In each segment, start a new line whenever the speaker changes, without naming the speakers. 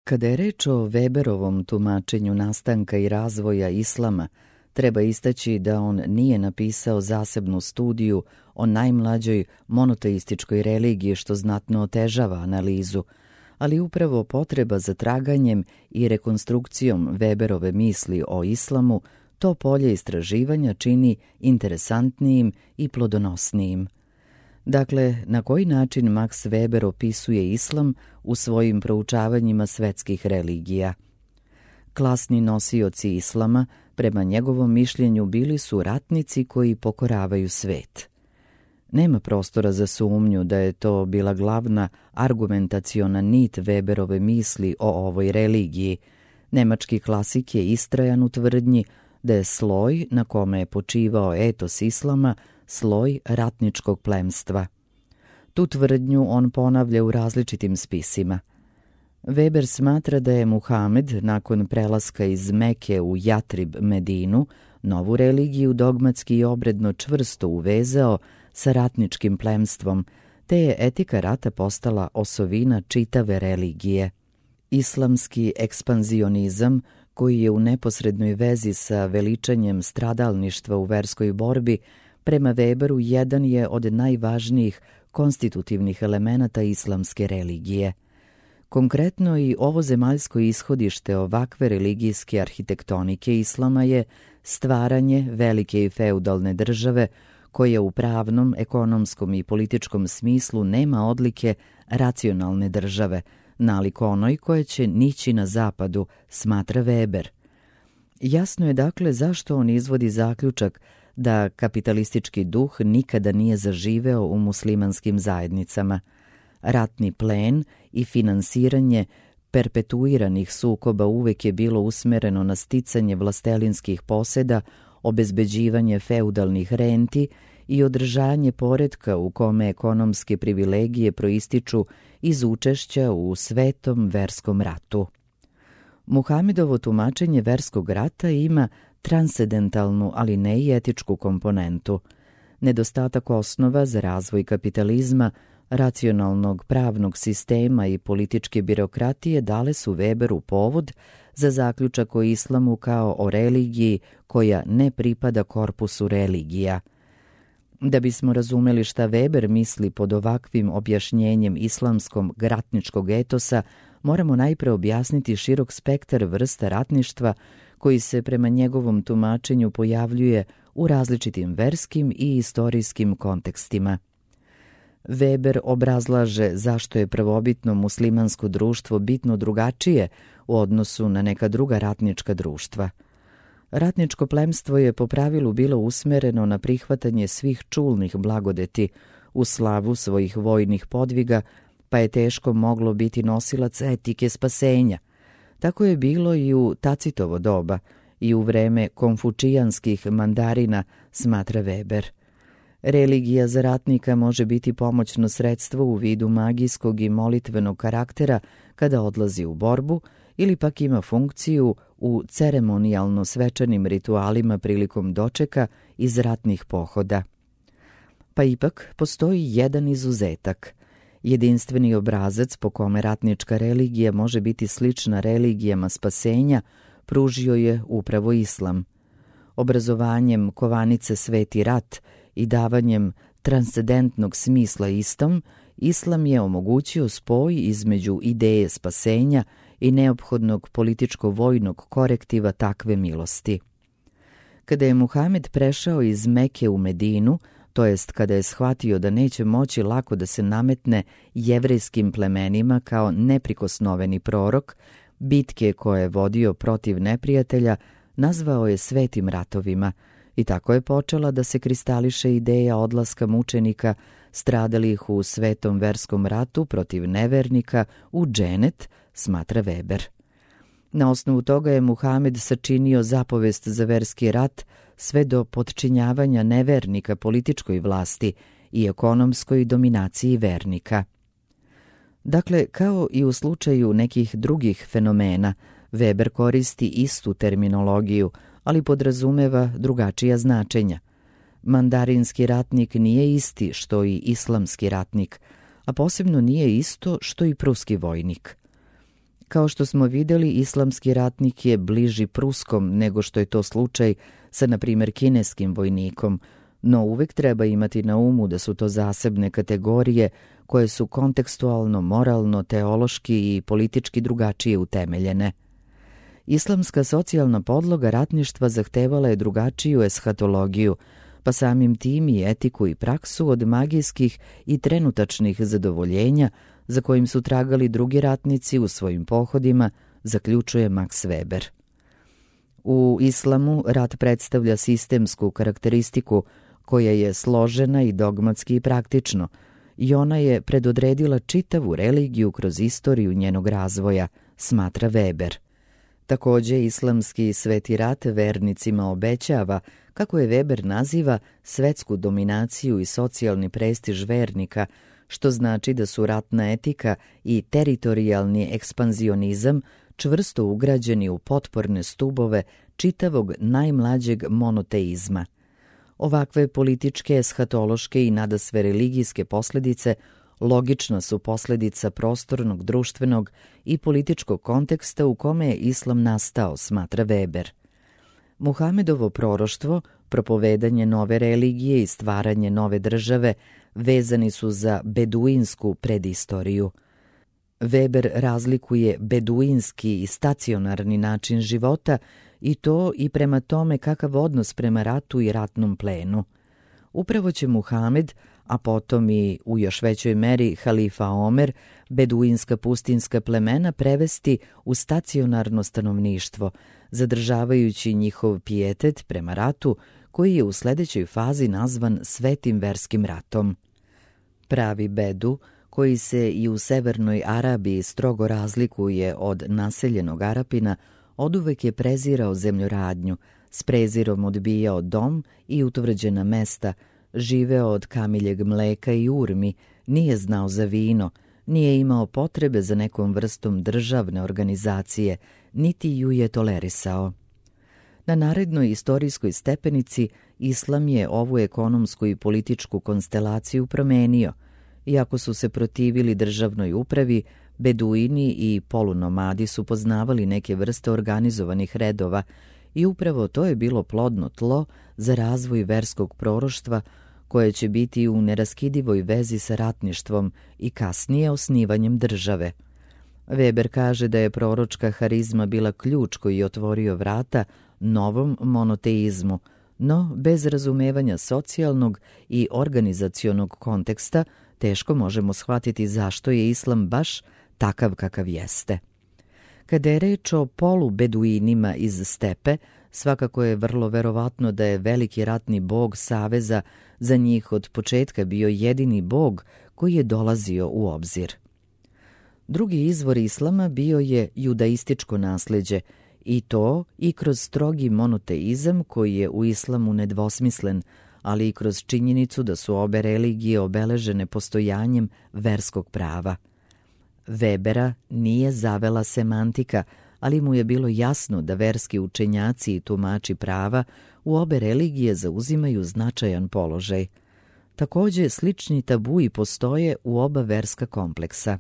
Kada je reč o Weberovom tumačenju nastanka i razvoja islama, treba istaći da on nije napisao zasebnu studiju o najmlađoj monoteističkoj religiji, što znatno otežava analizu, ali upravo potreba za traganjem i rekonstrukcijom Weberove misli o islamu to polje istraživanja čini interesantnijim i plodonosnijim. Dakle, na koji način Max Weber opisuje islam u svojim proučavanjima svetskih religija? Klasni nosioci islama, prema njegovom mišljenju, bili su ratnici koji pokoravaju svet. Nema prostora za sumnju da je to bila glavna argumentaciona nit Weberove misli o ovoj religiji. Nemački klasik je istrajan u tvrdnji da je sloj na kome je počivao etos islama sloj ratničkog plemstva. Tu tvrdnju on ponavlja u različitim spisima. Weber smatra da je Muhamed nakon prelaska iz Meke u Jatrib Medinu novu religiju dogmatski i obredno čvrsto uvezao sa ratničkim plemstvom, te je etika rata postala osovina čitave religije. Islamski ekspanzionizam, koji je u neposrednoj vezi sa veličanjem stradalništva u verskoj borbi, prema Weberu jedan je od najvažnijih konstitutivnih elemenata islamske religije. Konkretno i ovo zemaljsko ishodište ovakve religijske arhitektonike islama je stvaranje velike i feudalne države koja u pravnom, ekonomskom i političkom smislu nema odlike racionalne države, nalik onoj koja će nići na zapadu, smatra Weber. Jasno je dakle zašto on izvodi zaključak da kapitalistički duh nikada nije zaživeo u muslimanskim zajednicama. Ratni plen i finansiranje perpetuiranih sukoba uvek je bilo usmereno na sticanje vlastelinskih poseda, obezbeđivanje feudalnih renti i održanje poretka u kome ekonomske privilegije proističu iz učešća u svetom verskom ratu. Muhamedovo tumačenje verskog rata ima transcendentalnu, ali ne i etičku komponentu. Nedostatak osnova za razvoj kapitalizma, racionalnog pravnog sistema i političke birokratije dale su Weberu povod za zaključak o islamu kao o religiji koja ne pripada korpusu religija. Da bismo razumeli šta Weber misli pod ovakvim objašnjenjem islamskog ratničkog etosa, moramo najpre objasniti širok spektar vrsta ratništva koji se prema njegovom tumačenju pojavljuje u različitim verskim i istorijskim kontekstima. Weber obrazlaže zašto je prvobitno muslimansko društvo bitno drugačije u odnosu na neka druga ratnička društva. Ratničko plemstvo je po pravilu bilo usmereno na prihvatanje svih čulnih blagodeti u slavu svojih vojnih podviga, pa je teško moglo biti nosilac etike spasenja. Tako je bilo i u Tacitovo doba i u vreme konfučijanskih mandarina, smatra Weber. Religija za ratnika može biti pomoćno sredstvo u vidu magijskog i molitvenog karaktera kada odlazi u borbu ili pak ima funkciju u ceremonijalno svečanim ritualima prilikom dočeka iz ratnih pohoda. Pa ipak postoji jedan izuzetak. Jedinstveni obrazac po kome ratnička religija može biti slična religijama spasenja pružio je upravo islam. Obrazovanjem kovanice Sveti rat i davanjem transcendentnog smisla istom, islam je omogućio spoj između ideje spasenja i neophodnog političko-vojnog korektiva takve milosti. Kada je Muhamed prešao iz Meke u Medinu, to jest kada je shvatio da neće moći lako da se nametne jevrejskim plemenima kao neprikosnoveni prorok, bitke koje je vodio protiv neprijatelja nazvao je svetim ratovima i tako je počela da se kristališe ideja odlaska mučenika stradalih u svetom verskom ratu protiv nevernika u dženet, smatra Weber. Na osnovu toga je Muhamed sačinio zapovest za verski rat sve do potčinjavanja nevernika političkoj vlasti i ekonomskoj dominaciji vernika. Dakle, kao i u slučaju nekih drugih fenomena, Weber koristi istu terminologiju, ali podrazumeva drugačija značenja. Mandarinski ratnik nije isti što i islamski ratnik, a posebno nije isto što i pruski vojnik. Kao što smo vidjeli, islamski ratnik je bliži Pruskom nego što je to slučaj sa, na primjer, kineskim vojnikom, no uvijek treba imati na umu da su to zasebne kategorije koje su kontekstualno, moralno, teološki i politički drugačije utemeljene. Islamska socijalna podloga ratništva zahtevala je drugačiju eshatologiju, pa samim tim i etiku i praksu od magijskih i trenutačnih zadovoljenja za kojim su tragali drugi ratnici u svojim pohodima, zaključuje Max Weber. U islamu rat predstavlja sistemsku karakteristiku koja je složena i dogmatski i praktično, i ona je predodredila čitavu religiju kroz istoriju njenog razvoja, smatra Weber. Također, islamski sveti rat vernicima obećava, kako je Weber naziva, svetsku dominaciju i socijalni prestiž vernika, što znači da su ratna etika i teritorijalni ekspanzionizam čvrsto ugrađeni u potporne stubove čitavog najmlađeg monoteizma. Ovakve političke, eshatološke i nadasve religijske posljedice logična su posljedica prostornog, društvenog i političkog konteksta u kome je islam nastao, smatra Weber. Muhamedovo proroštvo, propovedanje nove religije i stvaranje nove države vezani su za beduinsku predistoriju. Weber razlikuje beduinski i stacionarni način života i to i prema tome kakav odnos prema ratu i ratnom plenu. Upravo će Muhamed, a potom i u još većoj meri halifa Omer, beduinska pustinska plemena prevesti u stacionarno stanovništvo, zadržavajući njihov pijetet prema ratu koji je u sljedećoj fazi nazvan svetim verskim ratom. Pravi bedu, koji se i u severnoj Arabiji strogo razlikuje od naseljenog Arapina, oduvek je prezirao zemljoradnju, s prezirom odbijao dom i utvrđena mesta, živeo od kamiljeg mleka i urmi, nije znao za vino, nije imao potrebe za nekom vrstom državne organizacije, niti ju je tolerisao. Na narednoj istorijskoj stepenici islam je ovu ekonomsku i političku konstelaciju promenio. Iako su se protivili državnoj upravi, beduini i polunomadi su poznavali neke vrste organizovanih redova i upravo to je bilo plodno tlo za razvoj verskog proroštva koje će biti u neraskidivoj vezi sa ratništvom i kasnije osnivanjem države. Weber kaže da je proročka harizma bila ključ koji je otvorio vrata novom monoteizmu, no bez razumevanja socijalnog i organizacionog konteksta teško možemo shvatiti zašto je islam baš takav kakav jeste. Kada je reč o polubeduinima iz stepe, svakako je vrlo verovatno da je veliki ratni bog saveza za njih od početka bio jedini bog koji je dolazio u obzir. Drugi izvor islama bio je judaističko nasljeđe, i to i kroz strogi monoteizam koji je u islamu nedvosmislen, ali i kroz činjenicu da su obe religije obeležene postojanjem verskog prava. Webera nije zavela semantika, ali mu je bilo jasno da verski učenjaci i tumači prava u obe religije zauzimaju značajan položaj. Također, slični tabui postoje u oba verska kompleksa.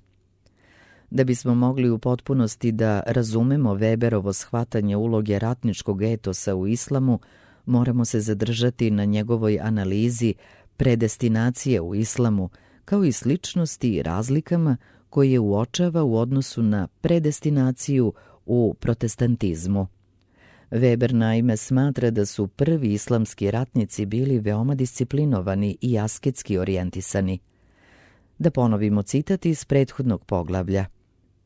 Da bismo mogli u potpunosti da razumemo Weberovo shvatanje uloge ratničkog etosa u islamu, moramo se zadržati na njegovoj analizi predestinacije u islamu, kao i sličnosti i razlikama koje uočava u odnosu na predestinaciju u protestantizmu. Weber naime smatra da su prvi islamski ratnici bili veoma disciplinovani i asketski orijentisani. Da ponovimo citat iz prethodnog poglavlja.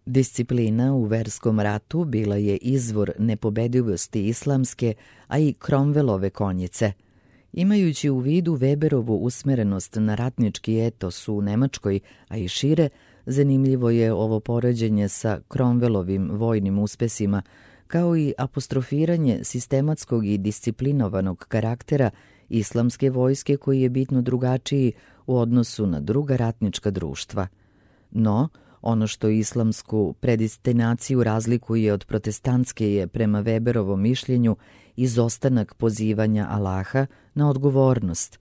Disciplina u verskom ratu bila je izvor nepobedivosti islamske, a i Cromwellove konjice. Imajući u vidu Weberovu usmerenost na ratnički etos u Nemačkoj, a i šire, zanimljivo je ovo poređenje sa Cromwellovim vojnim uspesima, kao i apostrofiranje sistematskog i disciplinovanog karaktera islamske vojske koji je bitno drugačiji u odnosu na druga ratnička društva. No, ono što islamsku predestinaciju razlikuje od protestantske je, prema Weberovom mišljenju, izostanak pozivanja Allaha na odgovornost.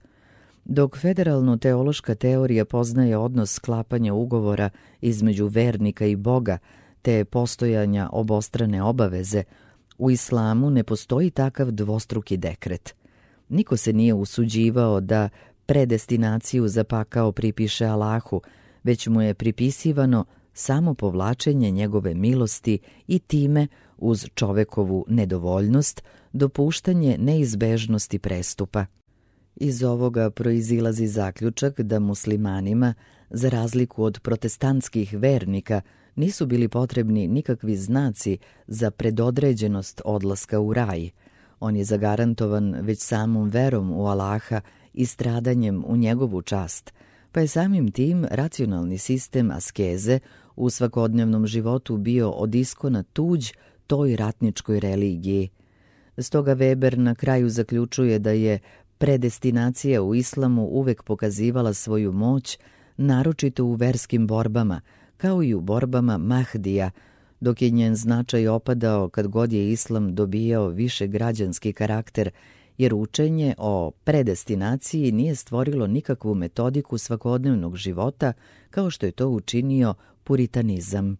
Dok federalno-teološka teorija poznaje odnos sklapanja ugovora između vernika i Boga, te postojanja obostrane obaveze, u islamu ne postoji takav dvostruki dekret. Niko se nije usuđivao da predestinaciju za pakao pripiše Allahu, već mu je pripisivano samo povlačenje njegove milosti i time, uz čovekovu nedovoljnost, dopuštanje neizbežnosti prestupa. Iz ovoga proizilazi zaključak da muslimanima, za razliku od protestantskih vernika, nisu bili potrebni nikakvi znaci za predodređenost odlaska u raj. On je zagarantovan već samom verom u Allaha i stradanjem u njegovu čast, pa je samim tim racionalni sistem askeze u svakodnevnom životu bio od iskona tuđ toj ratničkoj religiji. Stoga Weber na kraju zaključuje da je predestinacija u islamu uvek pokazivala svoju moć, naročito u verskim borbama, kao i u borbama Mahdija, dok je njen značaj opadao kad god je islam dobijao više građanski karakter, jer učenje o predestinaciji nije stvorilo nikakvu metodiku svakodnevnog života kao što je to učinio puritanizam.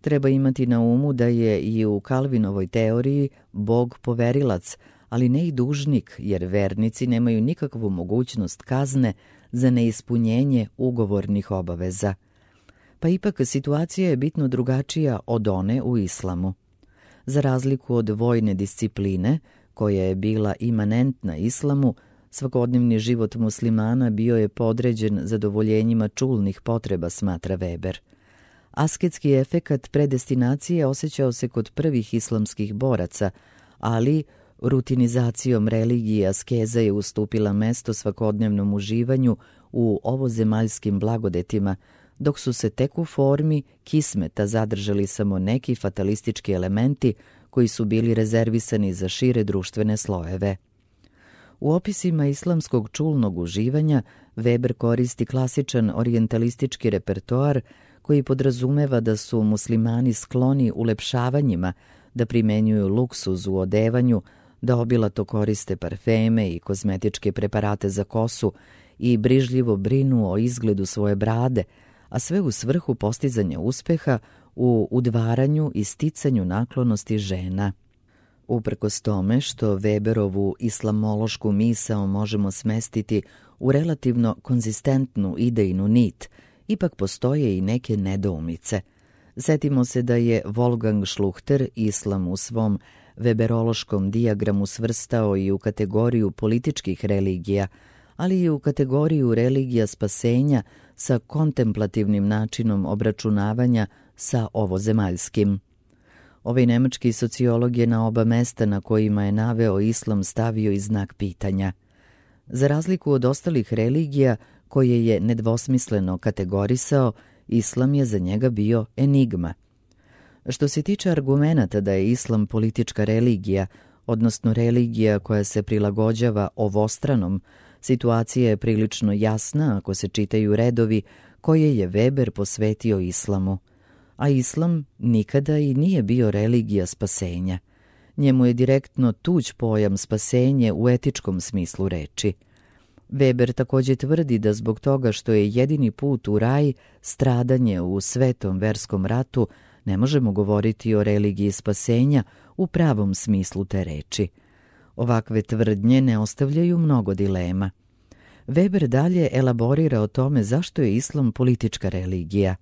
Treba imati na umu da je i u Kalvinovoj teoriji Bog poverilac, ali ne i dužnik, jer vernici nemaju nikakvu mogućnost kazne za neispunjenje ugovornih obaveza. Pa ipak situacija je bitno drugačija od one u islamu. Za razliku od vojne discipline, koja je bila imanentna islamu, svakodnevni život muslimana bio je podređen zadovoljenjima čulnih potreba, smatra Weber. Asketski efekat predestinacije osjećao se kod prvih islamskih boraca, ali rutinizacijom religije askeza je ustupila mesto svakodnevnom uživanju u ovozemaljskim blagodetima, dok su se tek u formi kismeta zadržali samo neki fatalistički elementi koji su bili rezervisani za šire društvene slojeve. U opisima islamskog čulnog uživanja Weber koristi klasičan orijentalistički repertoar koji podrazumeva da su muslimani skloni ulepšavanjima, da primenjuju luksuz u odevanju, da obilato koriste parfeme i kozmetičke preparate za kosu i brižljivo brinu o izgledu svoje brade, a sve u svrhu postizanja uspeha u udvaranju i sticanju naklonosti žena. Uprkos tome što Weberovu islamološku misao možemo smestiti u relativno konzistentnu idejnu nit, ipak postoje i neke nedoumice. Setimo se da je Wolfgang Schluchter islam u svom weberološkom dijagramu svrstao i u kategoriju političkih religija, ali i u kategoriju religija spasenja sa kontemplativnim načinom obračunavanja sa ovozemaljskim. Ovaj nemački sociolog je na oba mesta na kojima je naveo islam stavio i znak pitanja. Za razliku od ostalih religija koje je nedvosmisleno kategorisao, islam je za njega bio enigma. Što se tiče argumenata da je islam politička religija, odnosno religija koja se prilagođava ovostranom, situacija je prilično jasna ako se čitaju redovi koje je Weber posvetio islamu. A islam nikada i nije bio religija spasenja. Njemu je direktno tuđ pojam spasenje u etičkom smislu reči. Weber također tvrdi da zbog toga što je jedini put u raj stradanje u svetom verskom ratu, ne možemo govoriti o religiji spasenja u pravom smislu te reči. Ovakve tvrdnje ne ostavljaju mnogo dilema. Weber dalje elaborira o tome zašto je islam politička religija.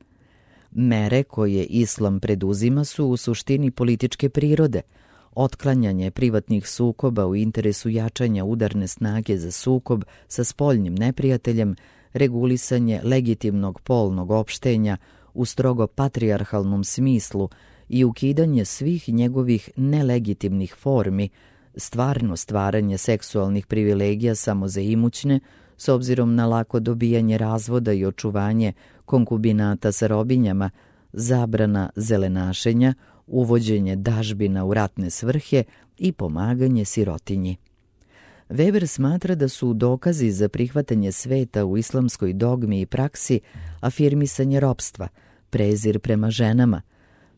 Mere koje islam preduzima su u suštini političke prirode, otklanjanje privatnih sukoba u interesu jačanja udarne snage za sukob sa spoljnim neprijateljem, regulisanje legitimnog polnog opštenja u strogo patrijarhalnom smislu i ukidanje svih njegovih nelegitimnih formi, stvarno stvaranje seksualnih privilegija samo za imućne, s obzirom na lako dobijanje razvoda i očuvanje konkubinata sa robinjama, zabrana zelenašenja, uvođenje dažbina u ratne svrhe i pomaganje sirotinji. Weber smatra da su dokazi za prihvatanje sveta u islamskoj dogmi i praksi afirmisanje ropstva, prezir prema ženama,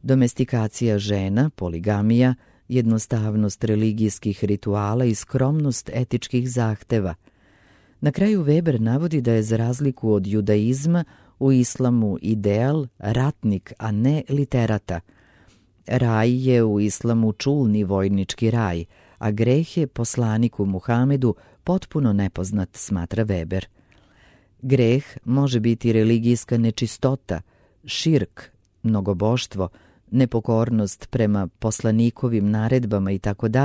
domestikacija žena, poligamija, jednostavnost religijskih rituala i skromnost etičkih zahteva. Na kraju Weber navodi da je za razliku od judaizma U islamu ideal ratnik, a ne literata. Raj je u islamu čulni vojnički raj, a greh je poslaniku Muhamedu potpuno nepoznat, smatra Weber. Greh može biti religijska nečistota, širk, mnogoboštvo, nepokornost prema poslanikovim naredbama itd.,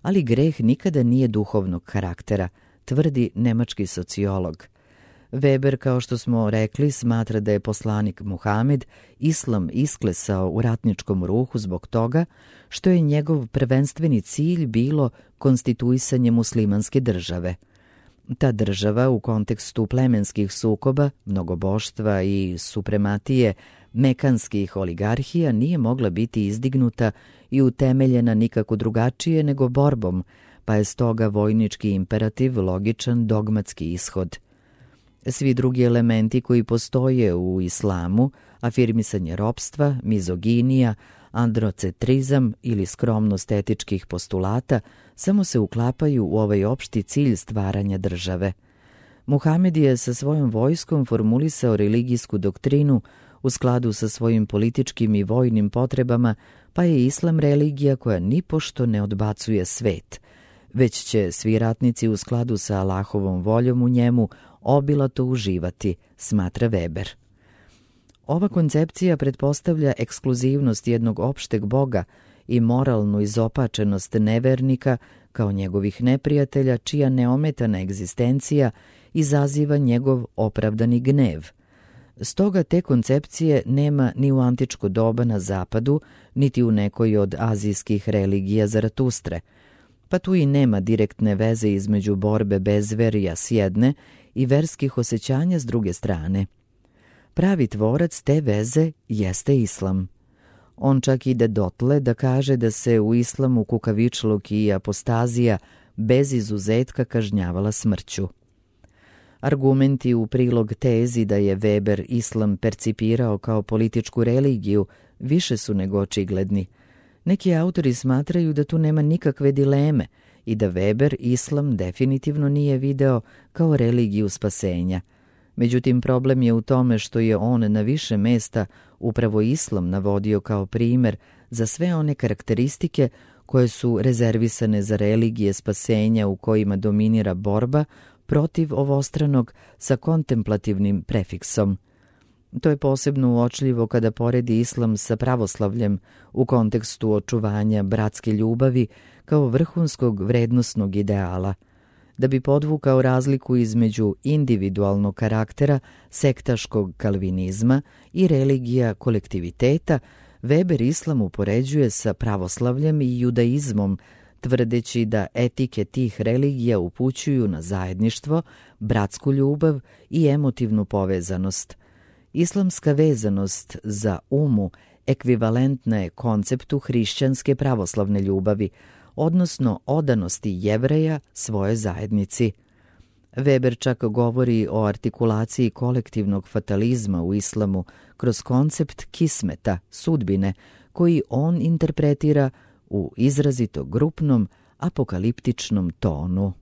ali greh nikada nije duhovnog karaktera, tvrdi nemački sociolog. Weber, kao što smo rekli, smatra da je poslanik Muhamed islam isklesao u ratničkom ruhu zbog toga što je njegov prvenstveni cilj bilo konstituisanje muslimanske države. Ta država u kontekstu plemenskih sukoba, mnogoboštva i suprematije mekanskih oligarhija nije mogla biti izdignuta i utemeljena nikako drugačije nego borbom, pa je stoga vojnički imperativ logičan dogmatski ishod. Svi drugi elementi koji postoje u islamu, afirmisanje ropstva, mizoginija, androcentrizam ili skromnost etičkih postulata, samo se uklapaju u ovaj opšti cilj stvaranja države. Muhamed je sa svojom vojskom formulisao religijsku doktrinu u skladu sa svojim političkim i vojnim potrebama, pa je islam religija koja nipošto ne odbacuje svet, već će svi ratnici u skladu sa Allahovom voljom u njemu obilato uživati, smatra Weber. Ova koncepcija pretpostavlja ekskluzivnost jednog opšteg Boga i moralnu izopačenost nevernika kao njegovih neprijatelja, čija neometana egzistencija izaziva njegov opravdani gnev. Stoga te koncepcije nema ni u antičko doba na zapadu, niti u nekoj od azijskih religija Zaratustre, pa tu i nema direktne veze između borbe bezverija s jedne i verskih osjećanja s druge strane. Pravi tvorac te veze jeste islam. On čak ide dotle da kaže da se u islamu kukavičluk i apostazija bez izuzetka kažnjavala smrću. Argumenti u prilog tezi da je Weber islam percipirao kao političku religiju više su nego očigledni. Neki autori smatraju da tu nema nikakve dileme i da Weber islam definitivno nije video kao religiju spasenja. Međutim, problem je u tome što je on na više mesta upravo islam navodio kao primer za sve one karakteristike koje su rezervisane za religije spasenja u kojima dominira borba protiv ovostranog sa kontemplativnim prefiksom. To je posebno uočljivo kada poredi islam sa pravoslavljem u kontekstu očuvanja bratske ljubavi kao vrhunskog vrednosnog ideala. Da bi podvukao razliku između individualnog karaktera, sektaškog kalvinizma i religija kolektiviteta, Weber islam upoređuje sa pravoslavljem i judaizmom, tvrdeći da etike tih religija upućuju na zajedništvo, bratsku ljubav i emotivnu povezanost. Islamska vezanost za umu ekvivalentna je konceptu hrišćanske pravoslavne ljubavi, odnosno odanosti Jevreja svojoj zajednici. Weber čak govori o artikulaciji kolektivnog fatalizma u islamu kroz koncept kismeta, sudbine, koji on interpretira u izrazito grupnom, apokaliptičnom tonu.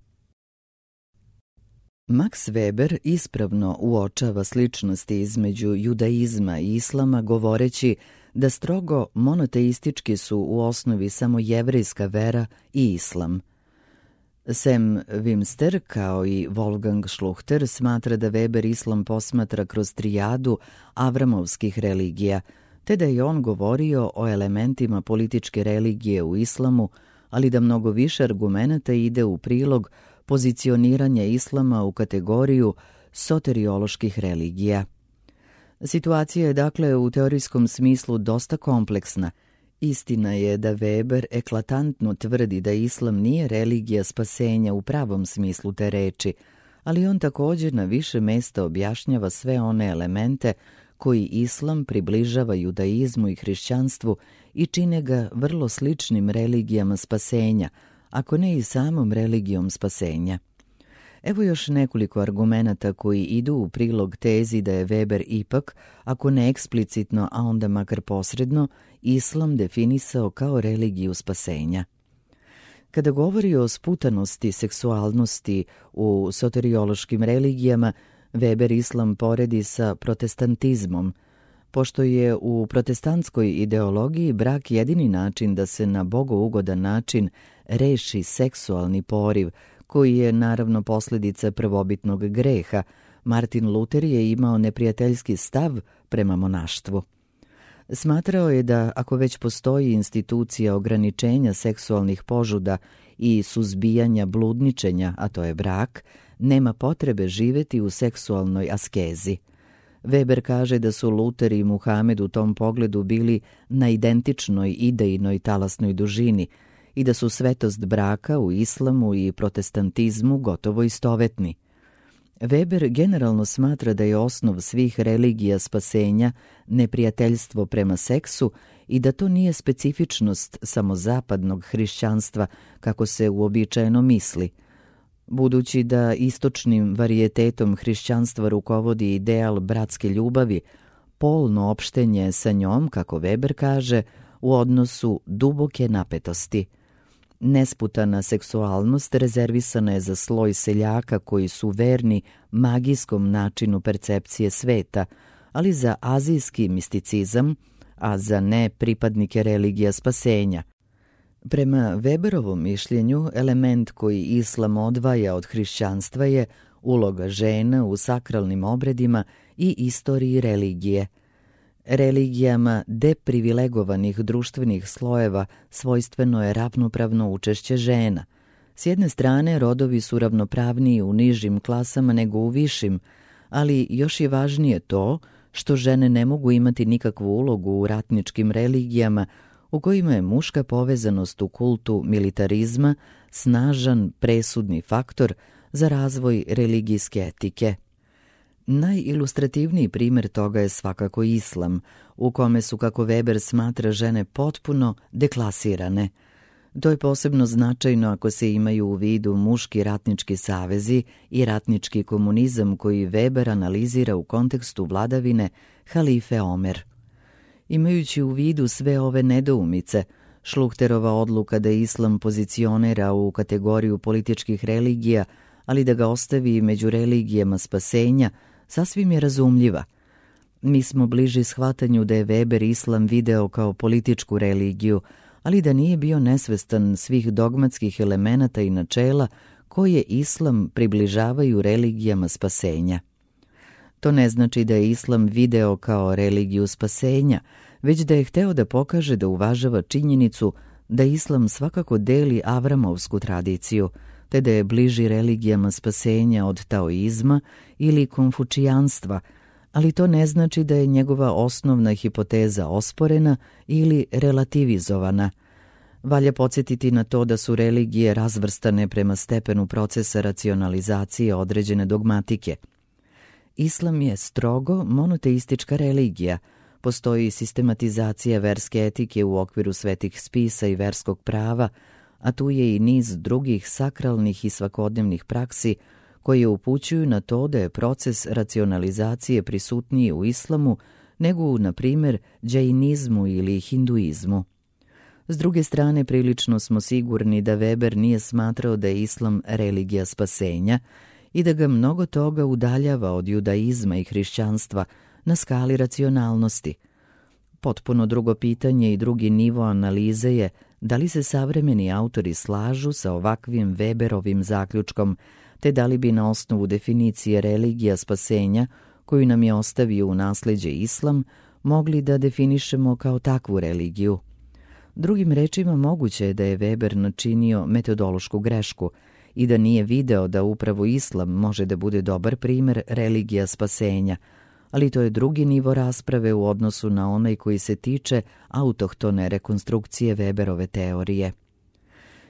Max Weber ispravno uočava sličnosti između judaizma i islama, govoreći da strogo monoteistički su u osnovi samo jevrejska vera i islam. Sam Wimster, kao i Wolfgang Schluchter, smatra da Weber islam posmatra kroz trijadu avramovskih religija, te da je on govorio o elementima političke religije u islamu, ali da mnogo više argumenata ide u prilog pozicioniranja islama u kategoriju soterioloških religija. Situacija je dakle u teorijskom smislu dosta kompleksna. Istina je da Weber eklatantno tvrdi da islam nije religija spasenja u pravom smislu te reči, ali on također na više mesta objašnjava sve one elemente koji islam približava judaizmu i hrišćanstvu i čine ga vrlo sličnim religijama spasenja, ako ne i samom religijom spasenja. Evo još nekoliko argumenata koji idu u prilog tezi da je Weber ipak, ako ne eksplicitno, a onda makar posredno, islam definisao kao religiju spasenja. Kada govori o sputanosti seksualnosti u soteriološkim religijama, Weber islam poredi sa protestantizmom, pošto je u protestantskoj ideologiji brak jedini način da se na bogougodan način reši seksualni poriv, koji je naravno posljedica prvobitnog greha. Martin Luther je imao neprijateljski stav prema monaštvu. Smatrao je da ako već postoji institucija ograničenja seksualnih požuda i suzbijanja bludničenja, a to je brak, nema potrebe živjeti u seksualnoj askezi. Weber kaže da su Luther i Muhamed u tom pogledu bili na identičnoj idejnoj talasnoj dužini i da su svetost braka u islamu i protestantizmu gotovo istovetni. Weber generalno smatra da je osnov svih religija spasenja neprijateljstvo prema seksu i da to nije specifičnost samo zapadnog hrišćanstva kako se uobičajeno misli. Budući da istočnim varijetetom hrišćanstva rukovodi ideal bratske ljubavi, polno opštenje sa njom, kako Weber kaže, u odnosu duboke napetosti. Nesputana seksualnost rezervisana je za sloj seljaka koji su verni magijskom načinu percepcije sveta, ali za azijski misticizam, a za ne pripadnike religija spasenja. Prema Weberovom mišljenju, element koji islam odvaja od hrišćanstva je uloga žena u sakralnim obredima i istoriji religije. Religijama deprivilegovanih društvenih slojeva svojstveno je ravnopravno učešće žena. S jedne strane, rodovi su ravnopravniji u nižim klasama nego u višim, ali još je važnije to što žene ne mogu imati nikakvu ulogu u ratničkim religijama u kojima je muška povezanost u kultu militarizma snažan presudni faktor za razvoj religijske etike. Najilustrativniji primjer toga je svakako islam, u kome su, kako Weber smatra, žene potpuno deklasirane. To je posebno značajno ako se imaju u vidu muški ratnički savezi i ratnički komunizam koji Weber analizira u kontekstu vladavine halife Omer. Imajući u vidu sve ove nedoumice, Šluhterova odluka da islam pozicionira u kategoriju političkih religija, ali da ga ostavi među religijama spasenja, sasvim je razumljiva. Mi smo bliži shvatanju da je Weber islam video kao političku religiju, ali da nije bio nesvestan svih dogmatskih elemenata i načela koje islam približavaju religijama spasenja. To ne znači da je islam video kao religiju spasenja, već da je hteo da pokaže da uvažava činjenicu da islam svakako deli avramovsku tradiciju, te da je bliži religijama spasenja od taoizma ili konfučijanstva, ali to ne znači da je njegova osnovna hipoteza osporena ili relativizovana. Valja podsjetiti na to da su religije razvrstane prema stepenu procesa racionalizacije određene dogmatike. Islam je strogo monoteistička religija. Postoji sistematizacija verske etike u okviru svetih spisa i verskog prava, a tu je i niz drugih sakralnih i svakodnevnih praksi koje upućuju na to da je proces racionalizacije prisutniji u islamu nego u, na primjer, džainizmu ili hinduizmu. S druge strane, prilično smo sigurni da Weber nije smatrao da je islam religija spasenja i da ga mnogo toga udaljava od judaizma i hrišćanstva na skali racionalnosti. Potpuno drugo pitanje i drugi nivo analize je da li se savremeni autori slažu sa ovakvim Weberovim zaključkom, te da li bi na osnovu definicije religija spasenja, koju nam je ostavio u nasleđe islam, mogli da definišemo kao takvu religiju. Drugim rečima, moguće je da je Weber načinio metodološku grešku i da nije video da upravo islam može da bude dobar primjer religija spasenja, ali to je drugi nivo rasprave u odnosu na onaj koji se tiče autohtone rekonstrukcije Weberove teorije.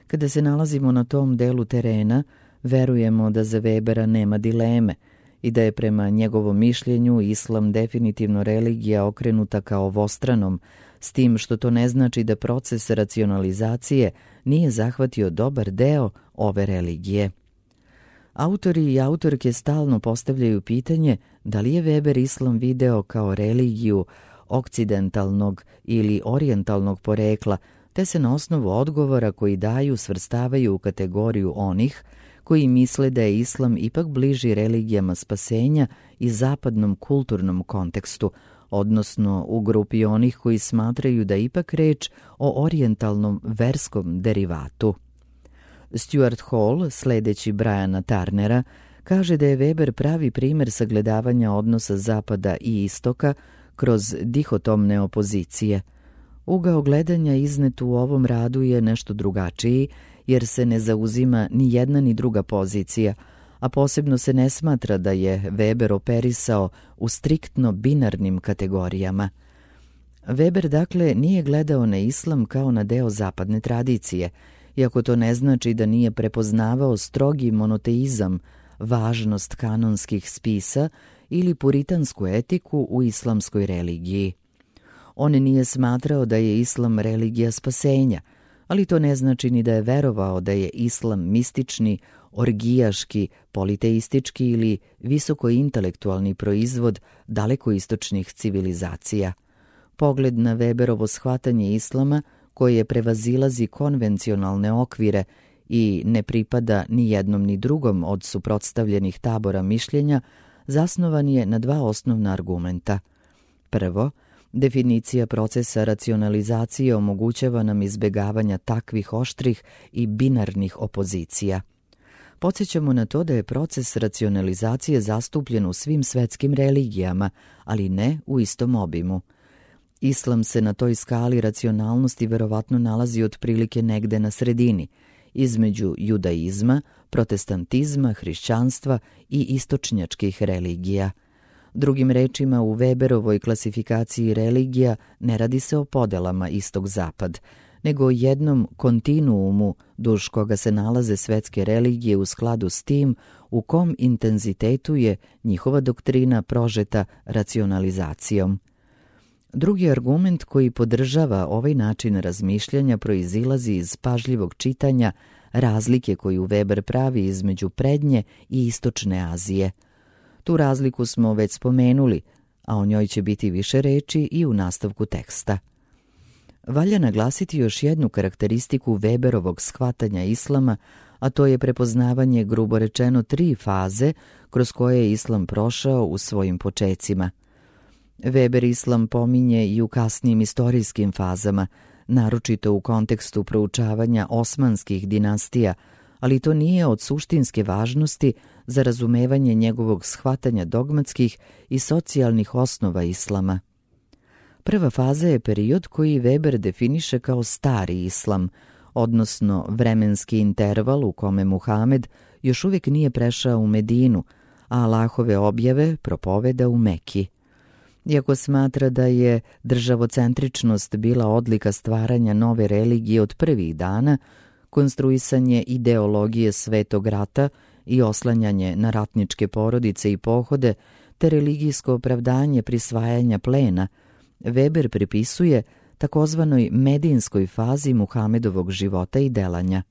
Kada se nalazimo na tom delu terena, verujemo da za Webera nema dileme i da je prema njegovom mišljenju islam definitivno religija okrenuta ka ovostranom, s tim što to ne znači da proces racionalizacije nije zahvatio dobar deo ove religije. Autori i autorke stalno postavljaju pitanje da li je Weber islam video kao religiju okcidentalnog ili orijentalnog porekla, te se na osnovu odgovora koji daju svrstavaju u kategoriju onih koji misle da je islam ipak bliži religijama spasenja i zapadnom kulturnom kontekstu, odnosno u grupi onih koji smatraju da je ipak reč o orijentalnom verskom derivatu. Stuart Hall, sledeći Briana Turnera, kaže da je Weber pravi primer sagledavanja odnosa Zapada i Istoka kroz dihotomne opozicije. Ugao gledanja iznet u ovom radu je nešto drugačiji, jer se ne zauzima ni jedna ni druga pozicija, a posebno se ne smatra da je Weber operisao u striktno binarnim kategorijama. Weber dakle nije gledao na islam kao na deo zapadne tradicije, iako to ne znači da nije prepoznavao strogi monoteizam, važnost kanonskih spisa ili puritansku etiku u islamskoj religiji. On nije smatrao da je islam religija spasenja, ali to ne znači ni da je verovao da je islam mistični, orgijaški, politeistički ili visokointelektualni proizvod dalekoistočnih civilizacija. Pogled na Weberovo shvatanje islama, koje prevazilazi konvencionalne okvire i ne pripada ni jednom ni drugom od suprotstavljenih tabora mišljenja, zasnovan je na dva osnovna argumenta. Prvo, definicija procesa racionalizacije omogućava nam izbegavanja takvih oštrih i binarnih opozicija. Podsjećamo na to da je proces racionalizacije zastupljen u svim svetskim religijama, ali ne u istom obimu. Islam se na toj skali racionalnosti verovatno nalazi otprilike negde na sredini, između judaizma, protestantizma, hrišćanstva i istočnjačkih religija. Drugim rečima, u Weberovoj klasifikaciji religija ne radi se o podelama istog-zapad, nego o jednom kontinuumu duž koga se nalaze svetske religije u skladu s tim u kom intenzitetu je njihova doktrina prožeta racionalizacijom. Drugi argument koji podržava ovaj način razmišljanja proizilazi iz pažljivog čitanja razlike koju Weber pravi između prednje i istočne Azije. Tu razliku smo već spomenuli, a o njoj će biti više reči i u nastavku teksta. Valja naglasiti još jednu karakteristiku Weberovog shvatanja islama, a to je prepoznavanje grubo rečeno 3 faze kroz koje je islam prošao u svojim počecima. Weber islam pominje i u kasnijim istorijskim fazama, naročito u kontekstu proučavanja osmanskih dinastija, ali to nije od suštinske važnosti za razumevanje njegovog shvatanja dogmatskih i socijalnih osnova islama. Prva faza je period koji Weber definiše kao stari islam, odnosno vremenski interval u kome Muhamed još uvijek nije prešao u Medinu, a Allahove objave propoveda u Meki. Iako smatra da je državocentričnost bila odlika stvaranja nove religije od prvih dana, konstruisanje ideologije Svetog rata i oslanjanje na ratničke porodice i pohode, te religijsko opravdanje prisvajanja plena, Weber pripisuje takozvanoj medinskoj fazi Muhamedovog života i delanja.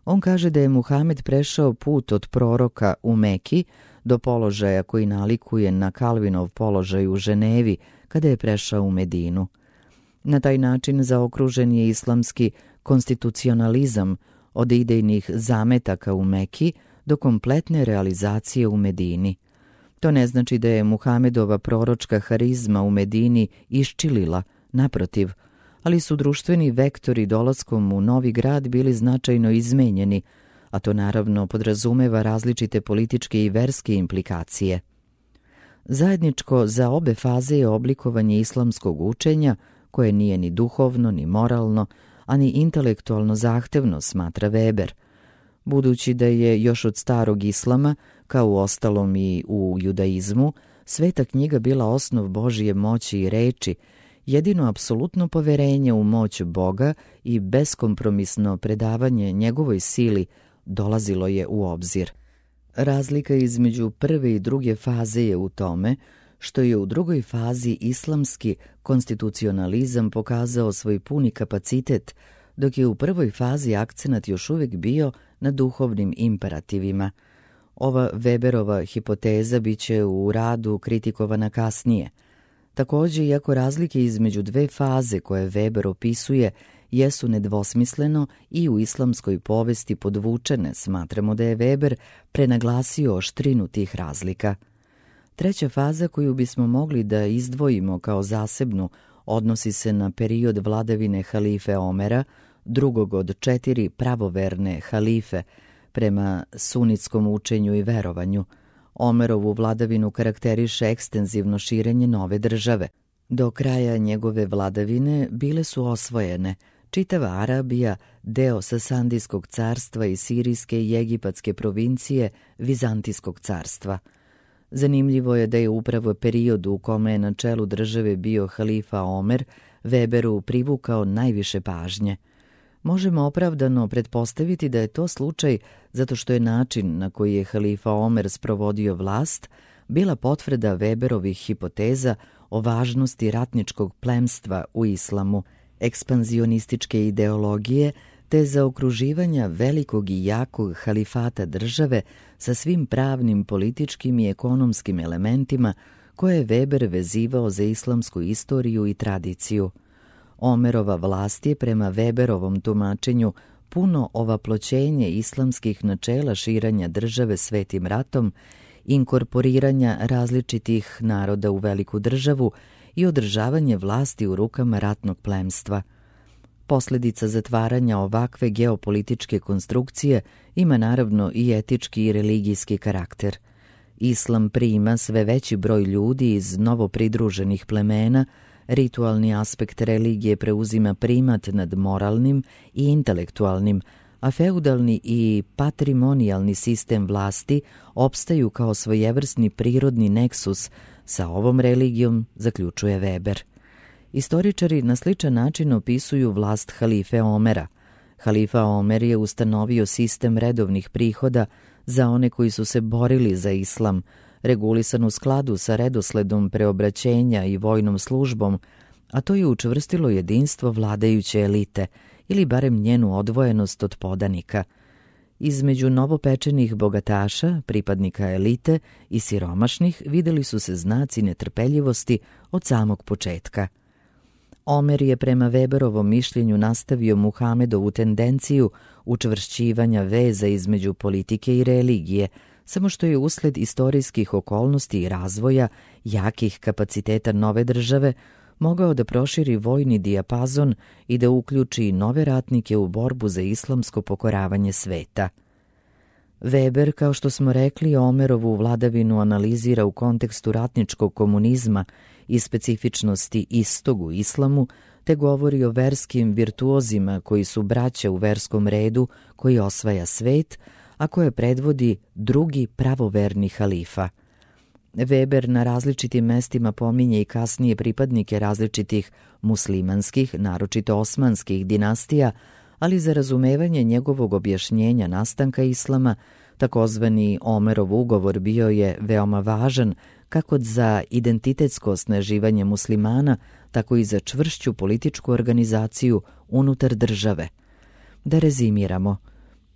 On kaže da je Muhamed prešao put od proroka u Meki do položaja koji nalikuje na Kalvinov položaj u Ženevi kada je prešao u Medinu. Na taj način zaokružen je islamski konstitucionalizam od idejnih zametaka u Meki do kompletne realizacije u Medini. To ne znači da je Muhamedova proročka harizma u Medini iščilila, naprotiv, ali su društveni vektori dolaskom u novi grad bili značajno izmenjeni, a to naravno podrazumeva različite političke i verske implikacije. Zajedničko za obe faze je oblikovanje islamskog učenja, koje nije ni duhovno, ni moralno, a ni intelektualno zahtevno, smatra Weber. Budući da je još od starog islama, kao u ostalom i u judaizmu, sveta knjiga bila osnov Božije moći i reči, jedino apsolutno poverenje u moć Boga i beskompromisno predavanje njegovoj sili dolazilo je u obzir. Razlika između prve i druge faze je u tome što je u drugoj fazi islamski konstitucionalizam pokazao svoj puni kapacitet, dok je u prvoj fazi akcenat još uvijek bio na duhovnim imperativima. Ova Weberova hipoteza biće u radu kritikovana kasnije. Također, iako razlike između dve faze koje Weber opisuje jesu nedvosmisleno i u islamskoj povesti podvučene, smatramo da je Weber prenaglasio oštrinu tih razlika. Treća faza koju bismo mogli da izdvojimo kao zasebnu odnosi se na period vladavine halife Omera, drugog od 4 pravoverne halife, prema sunitskom učenju i verovanju. Omerovu vladavinu karakteriše ekstenzivno širenje nove države. Do kraja njegove vladavine bile su osvojene čitava Arabija, deo Sasandijskog carstva i sirijske i egipatske provincije Vizantijskog carstva. Zanimljivo je da je upravo period u kome je na čelu države bio halifa Omer Weberu privukao najviše pažnje. Možemo opravdano pretpostaviti da je to slučaj zato što je način na koji je halifa Omer sprovodio vlast bila potvrda Weberovih hipoteza o važnosti ratničkog plemstva u islamu, ekspanzionističke ideologije te zaokruživanja velikog i jakog halifata države sa svim pravnim, političkim i ekonomskim elementima koje je Weber vezivao za islamsku istoriju i tradiciju. Omerova vlast je prema Weberovom tumačenju puno ovaploćenje islamskih načela širenja države svetim ratom, inkorporiranja različitih naroda u veliku državu i održavanje vlasti u rukama ratnog plemstva. Posljedica zatvaranja ovakve geopolitičke konstrukcije ima naravno i etički i religijski karakter. Islam prima sve veći broj ljudi iz novopridruženih plemena, ritualni aspekt religije preuzima primat nad moralnim i intelektualnim, a feudalni i patrimonijalni sistem vlasti opstaju kao svojevrsni prirodni neksus sa ovom religijom, zaključuje Weber. Istoričari na sličan način opisuju vlast halife Omera. Halifa Omer je ustanovio sistem redovnih prihoda za one koji su se borili za islam, regulisan u skladu sa redosledom preobraćenja i vojnom službom, a to je učvrstilo jedinstvo vladajuće elite ili barem njenu odvojenost od podanika. Između novopečenih bogataša, pripadnika elite i siromašnih videli su se znaci netrpeljivosti od samog početka. Omer je prema Weberovom mišljenju nastavio Muhamedovu tendenciju učvršćivanja veza između politike i religije, samo što je usled istorijskih okolnosti i razvoja jakih kapaciteta nove države mogao da proširi vojni dijapazon i da uključi nove ratnike u borbu za islamsko pokoravanje sveta. Weber, kao što smo rekli, Omerovu vladavinu analizira u kontekstu ratničkog komunizma i specifičnosti istog u islamu, te govori o verskim virtuozima koji su braća u verskom redu koji osvaja svet, a koje predvodi drugi pravoverni halifa. Weber na različitim mestima pominje i kasnije pripadnike različitih muslimanskih, naročito osmanskih dinastija, ali za razumevanje njegovog objašnjenja nastanka islama, takozvani Omerov ugovor bio je veoma važan kako za identitetsko osnaživanje muslimana, tako i za čvršću političku organizaciju unutar države. Da rezimiramo,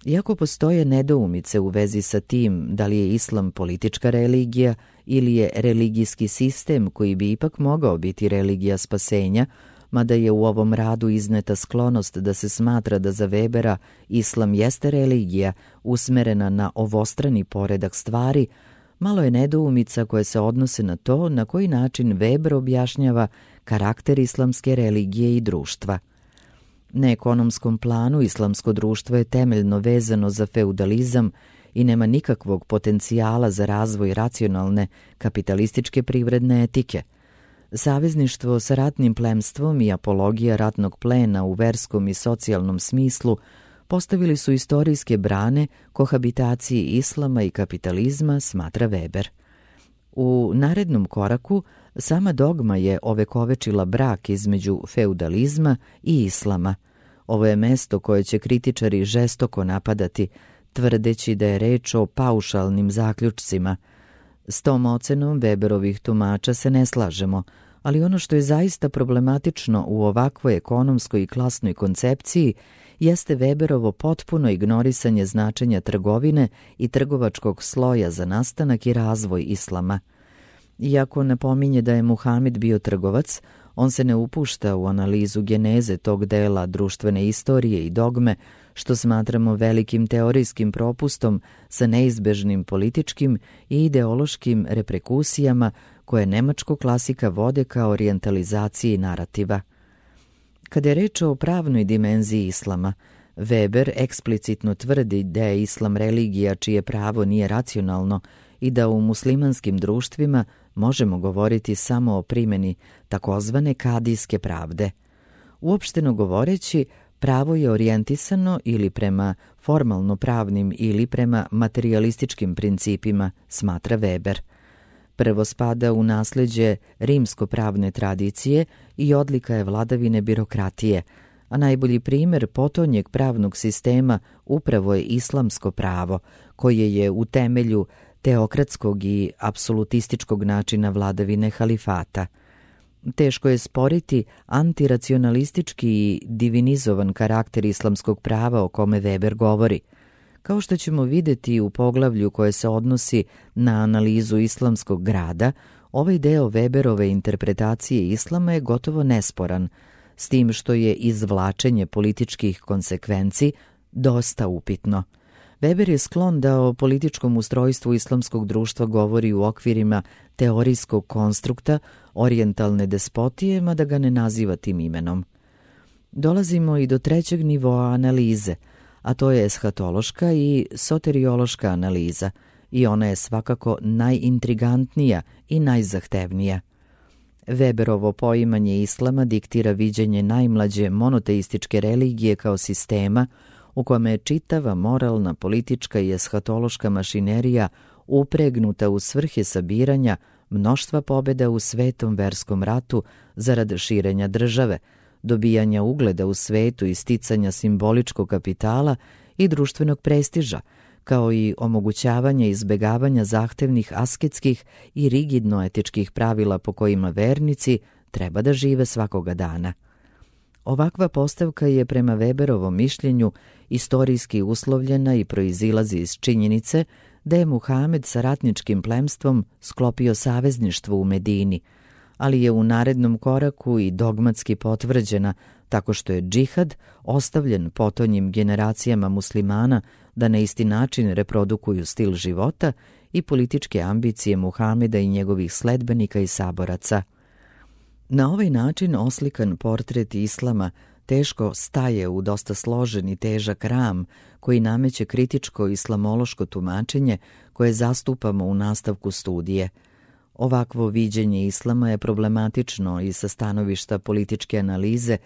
iako postoje nedoumice u vezi sa tim da li je islam politička religija ili je religijski sistem koji bi ipak mogao biti religija spasenja, mada je u ovom radu izneta sklonost da se smatra da za Webera islam jeste religija usmerena na ovostrani poredak stvari, malo je nedoumica koje se odnose na to na koji način Weber objašnjava karakter islamske religije i društva. Na ekonomskom planu islamsko društvo je temeljno vezano za feudalizam i nema nikakvog potencijala za razvoj racionalne kapitalističke privredne etike. Savezništvo sa ratnim plemstvom i apologija ratnog plena u verskom i socijalnom smislu postavili su istorijske brane kohabitaciji islama i kapitalizma, smatra Weber. U narednom koraku sama dogma je ovekovečila brak između feudalizma i islama. Ovo je mesto koje će kritičari žestoko napadati, tvrdeći da je reč o paušalnim zaključcima. S tom ocenom Weberovih tumača se ne slažemo, ali ono što je zaista problematično u ovakvoj ekonomskoj i klasnoj koncepciji jeste Weberovo potpuno ignorisanje značenja trgovine i trgovačkog sloja za nastanak i razvoj islama. Iako napominje da je Muhamed bio trgovac, On se ne upušta u analizu geneze tog dela društvene istorije i dogme, što smatramo velikim teorijskim propustom sa neizbežnim političkim i ideološkim reperkusijama koje nemačkog klasika vode ka orijentalizaciji narativa. Kada je reč o pravnoj dimenziji islama, Weber eksplicitno tvrdi da je islam religija čije pravo nije racionalno i da u muslimanskim društvima možemo govoriti samo o primjeni takozvane kadijske pravde. Uopšteno govoreći, pravo je orijentisano ili prema formalno pravnim ili prema materijalističkim principima, smatra Weber. Prvo spada u nasleđe rimsko-pravne tradicije i odlika je vladavine birokratije, a najbolji primjer potonjeg pravnog sistema upravo je islamsko pravo, koje je u temelju teokratskog i apsolutističkog načina vladavine halifata. Teško je sporiti antiracionalistički i divinizovan karakter islamskog prava o kome Weber govori. Kao što ćemo vidjeti u poglavlju koje se odnosi na analizu islamskog grada, ovaj deo Weberove interpretacije islama je gotovo nesporan, s tim što je izvlačenje političkih konsekvenci dosta upitno. Weber je sklon da o političkom ustrojstvu islamskog društva govori u okvirima teorijskog konstrukta orijentalne despotije, mada ga ne naziva tim imenom. Dolazimo i do trećeg nivoa analize, a to je eshatološka i soteriološka analiza, i ona je svakako najintrigantnija i najzahtevnija. Weberovo poimanje islama diktira viđenje najmlađe monoteističke religije kao sistema u kome je čitava moralna, politička i eshatološka mašinerija upregnuta u svrhe sabiranja mnoštva pobjeda u svetom verskom ratu zarad širenja države, dobijanja ugleda u svetu i sticanja simboličkog kapitala i društvenog prestiža, kao i omogućavanje izbegavanja zahtevnih asketskih i rigidno-etičkih pravila po kojima vernici treba da žive svakoga dana. Ovakva postavka je prema Weberovom mišljenju istorijski uslovljena i proizilazi iz činjenice da je Muhamed sa ratničkim plemstvom sklopio savezništvo u Medini, ali je u narednom koraku i dogmatski potvrđena tako što je džihad ostavljen potonjim generacijama muslimana da na isti način reprodukuju stil života i političke ambicije Muhameda i njegovih sledbenika i saboraca. Na ovaj način oslikan portret islama teško staje u dosta složen i težak ram koji nameće kritičko islamološko tumačenje koje zastupamo u nastavku studije. Ovakvo viđenje islama je problematično i sa stanovišta političke analize,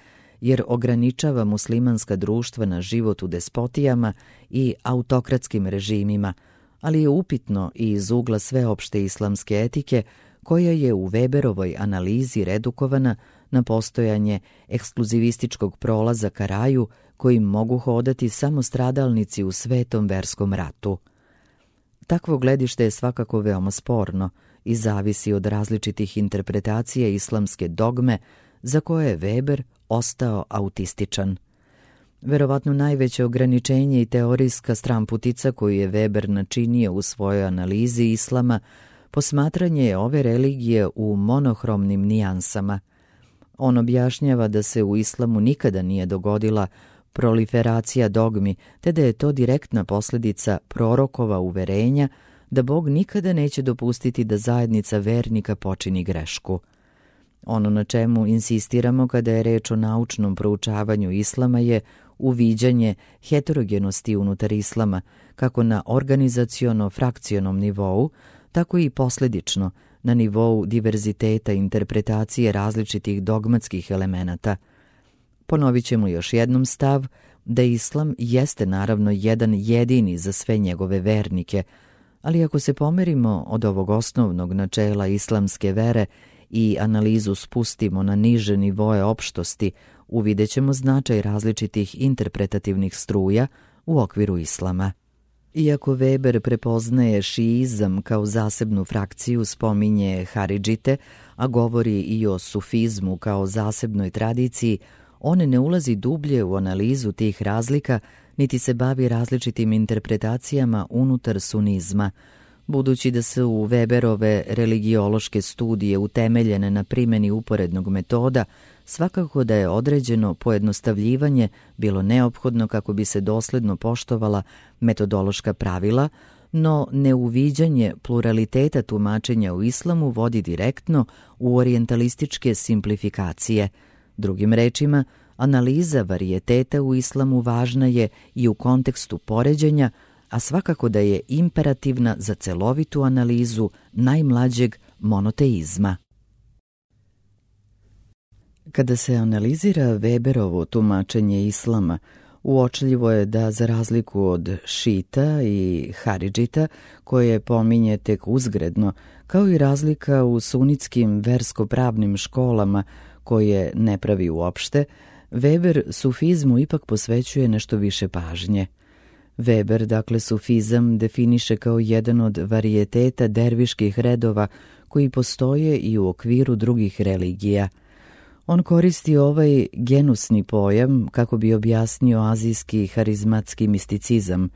jer ograničava muslimanska društva na život u despotijama i autokratskim režimima, ali je upitno i iz ugla sveopšte islamske etike koja je u Weberovoj analizi redukovana na postojanje ekskluzivističkog prolaza ka raju kojim mogu hodati samo stradalnici u svetom verskom ratu. Takvo gledište je svakako veoma sporno i zavisi od različitih interpretacija islamske dogme za koje je Weber ostao autističan. Verovatno najveće ograničenje i teorijska stramputica koju je Weber načinio u svojoj analizi islama posmatranje je ove religije u monohromnim nijansama. On objašnjava da se u islamu nikada nije dogodila proliferacija dogmi, te da je to direktna posljedica prorokova uverenja da Bog nikada neće dopustiti da zajednica vernika počini grešku. Ono na čemu insistiramo kada je reč o naučnom proučavanju islama je uviđanje heterogenosti unutar islama, kako na organizaciono-frakcionom nivou, tako i posljedično na nivou diverziteta interpretacije različitih dogmatskih elemenata. Ponovit ćemo još jednom stav da islam jeste naravno jedan jedini za sve njegove vernike, ali ako se pomerimo od ovog osnovnog načela islamske vere i analizu spustimo na niže nivoe opštosti, uvidjet ćemo značaj različitih interpretativnih struja u okviru islama. Iako Weber prepoznaje šiizam kao zasebnu frakciju, spominje haridžite, a govori i o sufizmu kao zasebnoj tradiciji, on ne ulazi dublje u analizu tih razlika, niti se bavi različitim interpretacijama unutar sunizma, Budući da su Weberove religiološke studije utemeljene na primjeni uporednog metoda, svakako da je određeno pojednostavljivanje bilo neophodno kako bi se dosledno poštovala metodološka pravila, no neuviđanje pluraliteta tumačenja u islamu vodi direktno u orijentalističke simplifikacije. Drugim rečima, analiza varijeteta u islamu važna je i u kontekstu poređenja, a svakako da je imperativna za celovitu analizu najmlađeg monoteizma. Kada se analizira Weberovo tumačenje islama, uočljivo je da, za razliku od šita i haridžita, koje pominje tek uzgredno, kao i razlika u sunitskim versko-pravnim školama, koje ne pravi uopšte, Weber sufizmu ipak posvećuje nešto više pažnje. Weber, dakle, sufizam definiše kao jedan od varijeteta derviških redova koji postoje i u okviru drugih religija. On koristi ovaj genusni pojam kako bi objasnio azijski harizmatski misticizam,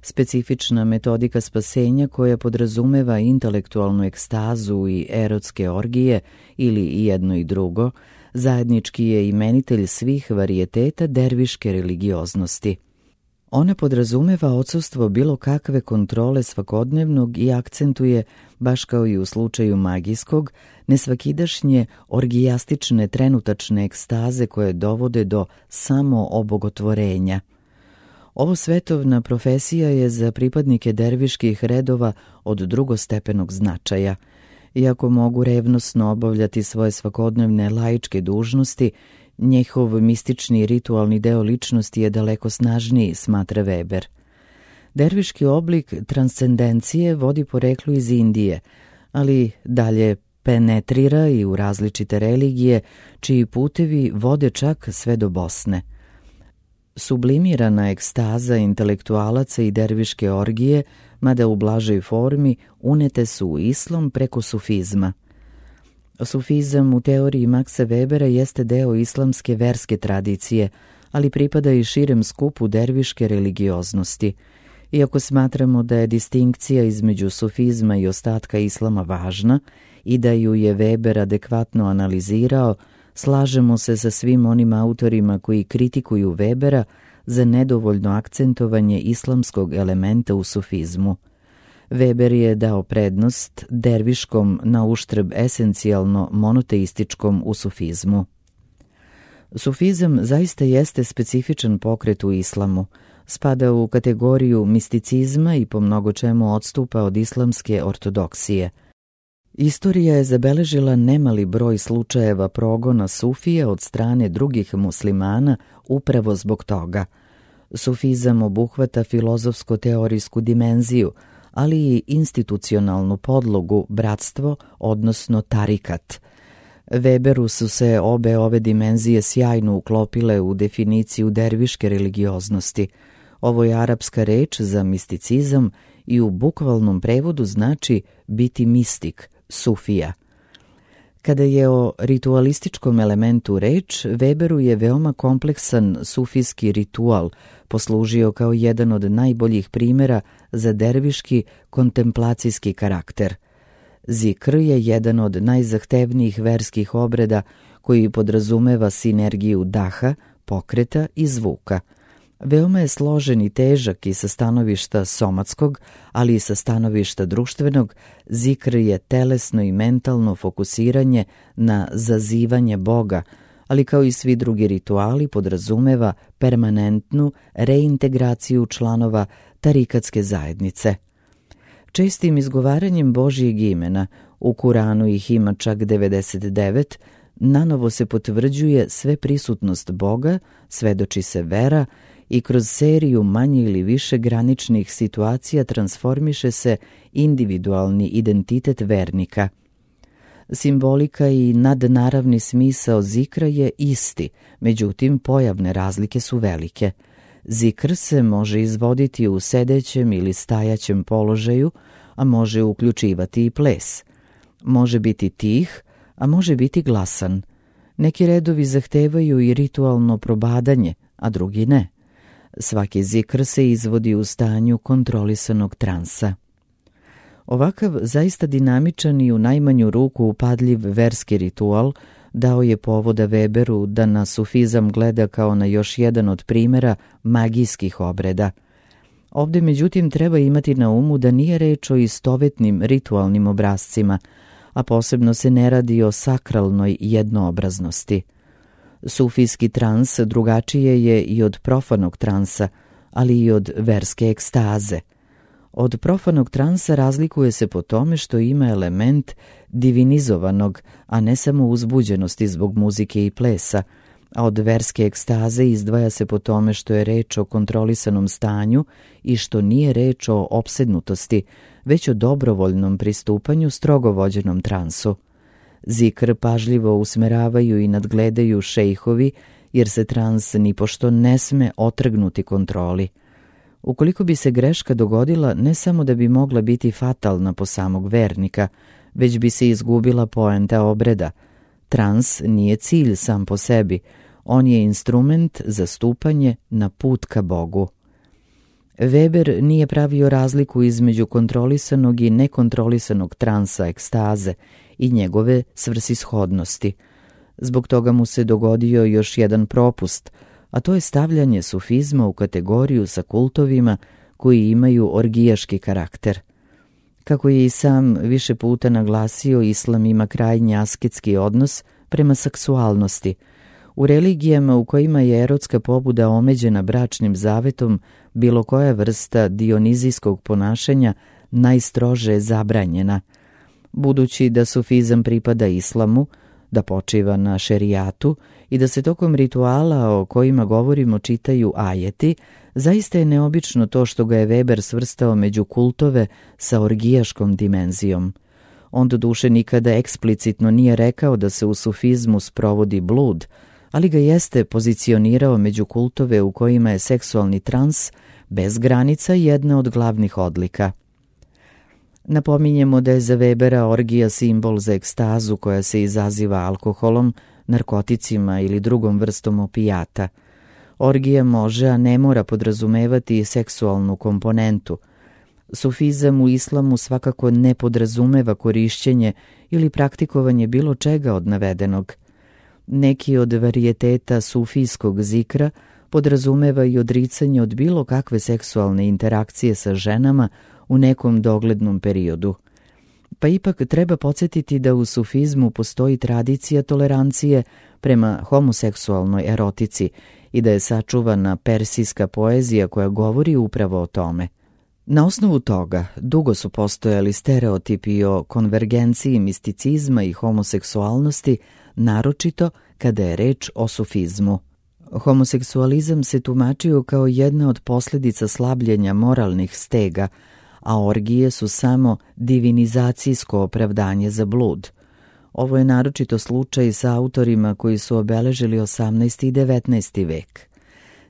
specifična metodika spasenja koja podrazumeva intelektualnu ekstazu i erotske orgije ili i jedno i drugo, zajednički je imenitelj svih varijeteta derviške religioznosti. Ona podrazumeva odsustvo bilo kakve kontrole svakodnevnog i akcentuje, baš kao i u slučaju magijskog, nesvakidašnje orgijastične trenutačne ekstaze koje dovode do samoobogotvorenja. Ovo svetovna profesija je za pripadnike derviških redova od drugostepenog značaja. Iako mogu revnosno obavljati svoje svakodnevne laičke dužnosti, njihov mistični ritualni deo ličnosti je daleko snažniji, smatra Weber. Derviški oblik transcendencije vodi poreklo iz Indije, ali dalje penetrira i u različite religije, čiji putevi vode čak sve do Bosne. Sublimirana ekstaza intelektualaca i derviške orgije, mada u blažoj formi, unete su u islam preko sufizma. Sufizam u teoriji Maxa Webera jeste deo islamske verske tradicije, ali pripada i širem skupu derviške religioznosti. Iako smatramo da je distinkcija između sufizma i ostatka islama važna i da ju je Weber adekvatno analizirao, slažemo se sa svim onim autorima koji kritikuju Webera za nedovoljno akcentovanje islamskog elementa u sufizmu. Weber je dao prednost derviškom na uštrb esencijalno monoteističkom u sufizmu. Sufizam zaista jeste specifičan pokret u islamu, spada u kategoriju misticizma i po mnogo čemu odstupa od islamske ortodoksije. Istorija je zabeležila nemali broj slučajeva progona sufija od strane drugih muslimana upravo zbog toga. Sufizam obuhvata filozofsko-teorijsku dimenziju, ali i institucionalnu podlogu, bratstvo, odnosno tarikat. Weberu su se obe ove dimenzije sjajno uklopile u definiciju derviške religioznosti. Ovo je arapska reč za misticizam i u bukvalnom prevodu znači biti mistik, sufija. Kada je o ritualističkom elementu reč, Weberu je veoma kompleksan sufijski ritual poslužio kao jedan od najboljih primjera za derviški kontemplacijski karakter. Zikr je jedan od najzahtevnijih verskih obreda koji podrazumeva sinergiju daha, pokreta i zvuka. Veoma je složen i težak i sa stanovišta somatskog, ali i sa stanovišta društvenog. Zikr je telesno i mentalno fokusiranje na zazivanje Boga, ali kao i svi drugi rituali podrazumeva permanentnu reintegraciju članova tarikatske zajednice. Čestim izgovaranjem Božjeg imena, u Kuranu ih ima čak 99, nanovo se potvrđuje sve prisutnost Boga, svedoči se vera i kroz seriju manje ili više graničnih situacija transformiše se individualni identitet vernika. Simbolika i nadnaravni smisao zikra je isti, međutim pojavne razlike su velike. Zikr se može izvoditi u sedećem ili stajaćem položaju, a može uključivati i ples. Može biti tih, a može biti glasan. Neki redovi zahtevaju i ritualno probadanje, a drugi ne. Svaki zikr se izvodi u stanju kontrolisanog transa. Ovakav zaista dinamičan i u najmanju ruku upadljiv verski ritual dao je povoda Weberu da na sufizam gleda kao na još jedan od primjera magijskih obreda. Ovdje međutim treba imati na umu da nije reč o istovetnim ritualnim obrascima, a posebno se ne radi o sakralnoj jednoobraznosti. Sufijski trans drugačije je i od profanog transa, ali i od verske ekstaze. Od profanog transa razlikuje se po tome što ima element divinizovanog, a ne samo uzbuđenosti zbog muzike i plesa, a od verske ekstaze izdvaja se po tome što je reč o kontrolisanom stanju i što nije reč o opsednutosti, već o dobrovoljnom pristupanju strogo vođenom transu. Zikr pažljivo usmeravaju i nadgledaju šejhovi, jer se trans nipošto ne sme otrgnuti kontroli. Ukoliko bi se greška dogodila, ne samo da bi mogla biti fatalna po samog vernika, već bi se izgubila poenta obreda. Trans nije cilj sam po sebi, on je instrument za stupanje na put ka Bogu. Weber nije pravio razliku između kontrolisanog i nekontrolisanog transa ekstaze i njegove svrsishodnosti. Zbog toga mu se dogodio još jedan propust, a to je stavljanje sufizma u kategoriju sa kultovima koji imaju orgijaški karakter. Kako je i sam više puta naglasio, islam ima krajnje asketski odnos prema seksualnosti. U religijama u kojima je erotska pobuda omeđena bračnim zavetom, bilo koja vrsta dionizijskog ponašanja najstrože je zabranjena. Budući da sufizam pripada islamu, da počiva na šerijatu i da se tokom rituala o kojima govorimo čitaju ajeti, zaista je neobično to što ga je Weber svrstao među kultove sa orgijaškom dimenzijom. On doduše nikada eksplicitno nije rekao da se u sufizmu sprovodi blud, ali ga jeste pozicionirao među kultove u kojima je seksualni trans bez granica jedna od glavnih odlika. Napominjemo da je za Webera orgija simbol za ekstazu koja se izaziva alkoholom, narkoticima ili drugom vrstom opijata. Orgija može, a ne mora podrazumevati seksualnu komponentu. Sufizam u islamu svakako ne podrazumeva korišćenje ili praktikovanje bilo čega od navedenog. Neki od varijeteta sufijskog zikra podrazumeva i odricanje od bilo kakve seksualne interakcije sa ženama u nekom doglednom periodu. Pa ipak treba podsjetiti da u sufizmu postoji tradicija tolerancije prema homoseksualnoj erotici i da je sačuvana persijska poezija koja govori upravo o tome. Na osnovu toga dugo su postojali stereotipi o konvergenciji misticizma i homoseksualnosti, naročito kada je reč o sufizmu. Homoseksualizam se tumačio kao jedna od posljedica slabljenja moralnih stega, a orgije su samo divinizacijsko opravdanje za blud. Ovo je naročito slučaj sa autorima koji su obeležili 18. i 19. vek.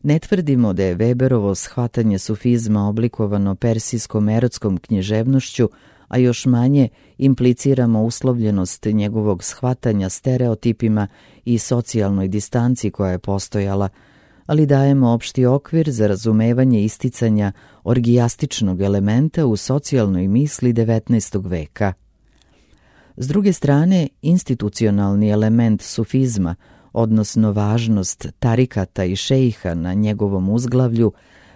Ne tvrdimo da je Weberovo shvatanje sufizma oblikovano persijskom erotskom književnošću, a još manje impliciramo uslovljenost njegovog shvatanja stereotipima i socijalnoj distanci koja je postojala, ali dajemo opšti okvir za razumevanje isticanja orgijastičnog elementa u socijalnoj misli 19. veka. S druge strane, institucionalni element sufizma, odnosno važnost tarikata i šejha na njegovom uzglavlju,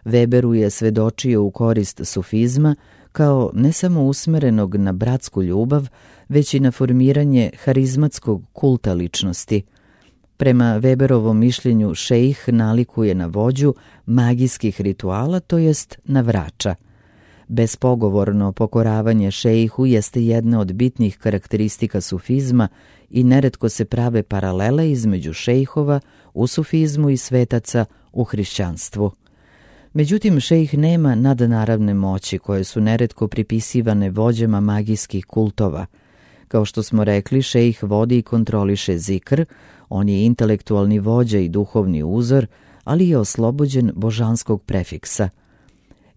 Weberu je svedočio u korist sufizma kao ne samo usmerenog na bratsku ljubav, već i na formiranje harizmatskog kulta ličnosti. Prema Weberovom mišljenju šejh nalikuje na vođu magijskih rituala, to jest na vrača. Bespogovorno pokoravanje šejhu jeste jedna od bitnih karakteristika sufizma i neretko se prave paralele između šejhova u sufizmu i svetaca u hrišćanstvu. Međutim, šejh nema nadnaravne moći koje su neretko pripisivane vođama magijskih kultova. Kao što smo rekli, šejh vodi i kontroliše zikr, on je intelektualni vođa i duhovni uzor, ali je oslobođen božanskog prefiksa.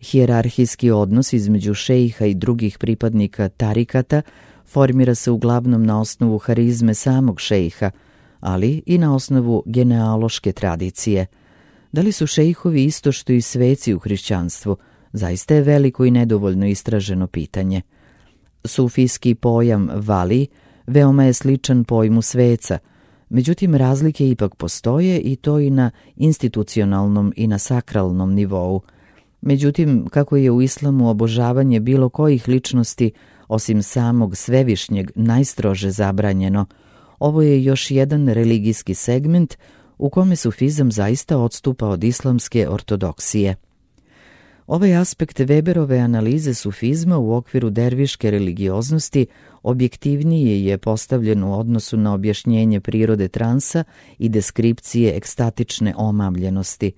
Hijerarhijski odnos između šejha i drugih pripadnika tarikata formira se uglavnom na osnovu harizme samog šejha, ali i na osnovu genealoške tradicije. Da li su šejhovi isto što i sveci u hrišćanstvu? Zaista je veliko i nedovoljno istraženo pitanje. Sufijski pojam vali veoma je sličan pojmu sveca, međutim razlike ipak postoje i to i na institucionalnom i na sakralnom nivou. Međutim, kako je u islamu obožavanje bilo kojih ličnosti osim samog svevišnjeg najstrože zabranjeno, ovo je još jedan religijski segment u kome sufizam zaista odstupa od islamske ortodoksije. Ovaj aspekt Weberove analize sufizma u okviru derviške religioznosti objektivnije je postavljen u odnosu na objašnjenje prirode transa i deskripcije ekstatične omamljenosti.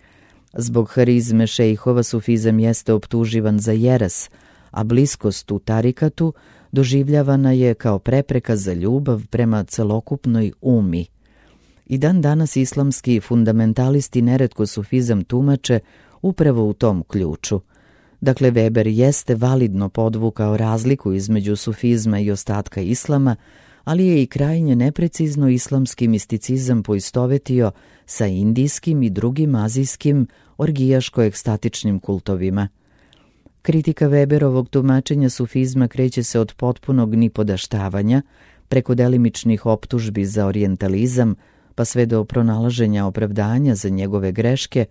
Zbog harizme šejhova sufizam jeste optuživan za jeres, a bliskost u tarikatu doživljavana je kao prepreka za ljubav prema celokupnoj umi. I dan danas islamski fundamentalisti neretko sufizam tumače upravo u tom ključu. Dakle, Weber jeste validno podvukao razliku između sufizma i ostatka islama, ali je i krajnje neprecizno islamski misticizam poistovetio sa indijskim i drugim azijskim orgijaško-ekstatičnim kultovima. Kritika Weberovog tumačenja sufizma kreće se od potpunog nipodaštavanja, preko delimičnih optužbi za orijentalizam, pa sve do pronalaženja opravdanja za njegove greške,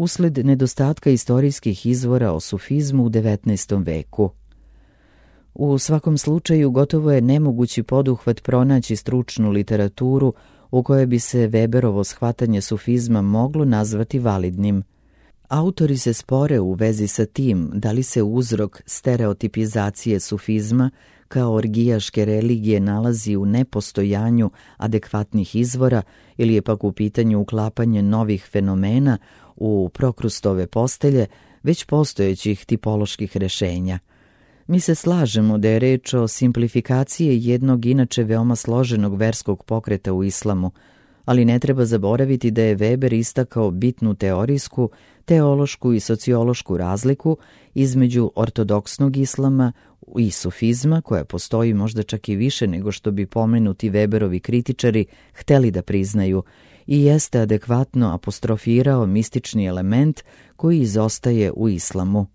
usled nedostatka istorijskih izvora o sufizmu u 19. veku. U svakom slučaju gotovo je nemogući poduhvat pronaći stručnu literaturu u kojoj bi se Weberovo shvatanje sufizma moglo nazvati validnim. Autori se spore u vezi sa tim da li se uzrok stereotipizacije sufizma kao orgijaške religije nalazi u nepostojanju adekvatnih izvora ili je pak u pitanju uklapanje novih fenomena u Prokrustove postelje već postojećih tipoloških rešenja. Mi se slažemo da je reč o simplifikaciji jednog inače veoma složenog verskog pokreta u islamu, ali ne treba zaboraviti da je Weber istakao bitnu teorijsku, teološku i sociološku razliku između ortodoksnog islama i sufizma, koja postoji možda čak i više nego što bi pomenuti Weberovi kritičari hteli da priznaju, i jeste adekvatno apostrofirao mistični element koji izostaje u islamu.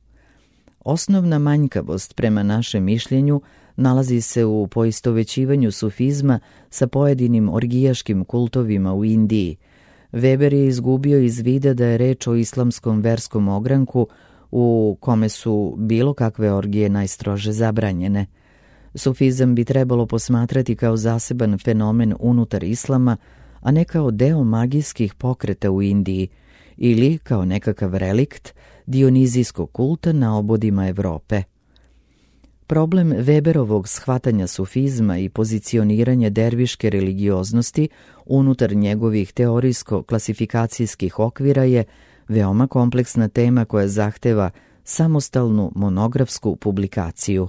Osnovna manjkavost, prema našem mišljenju, nalazi se u poistovećivanju sufizma sa pojedinim orgijaškim kultovima u Indiji. Weber je izgubio iz vida da je reč o islamskom verskom ogranku u kome su bilo kakve orgije najstrože zabranjene. Sufizam bi trebalo posmatrati kao zaseban fenomen unutar islama, a ne kao deo magijskih pokreta u Indiji ili kao nekakav relikt dionizijskog kulta na obodima Evrope. Problem Weberovog shvatanja sufizma i pozicioniranja derviške religioznosti unutar njegovih teorijsko-klasifikacijskih okvira je veoma kompleksna tema koja zahteva samostalnu monografsku publikaciju.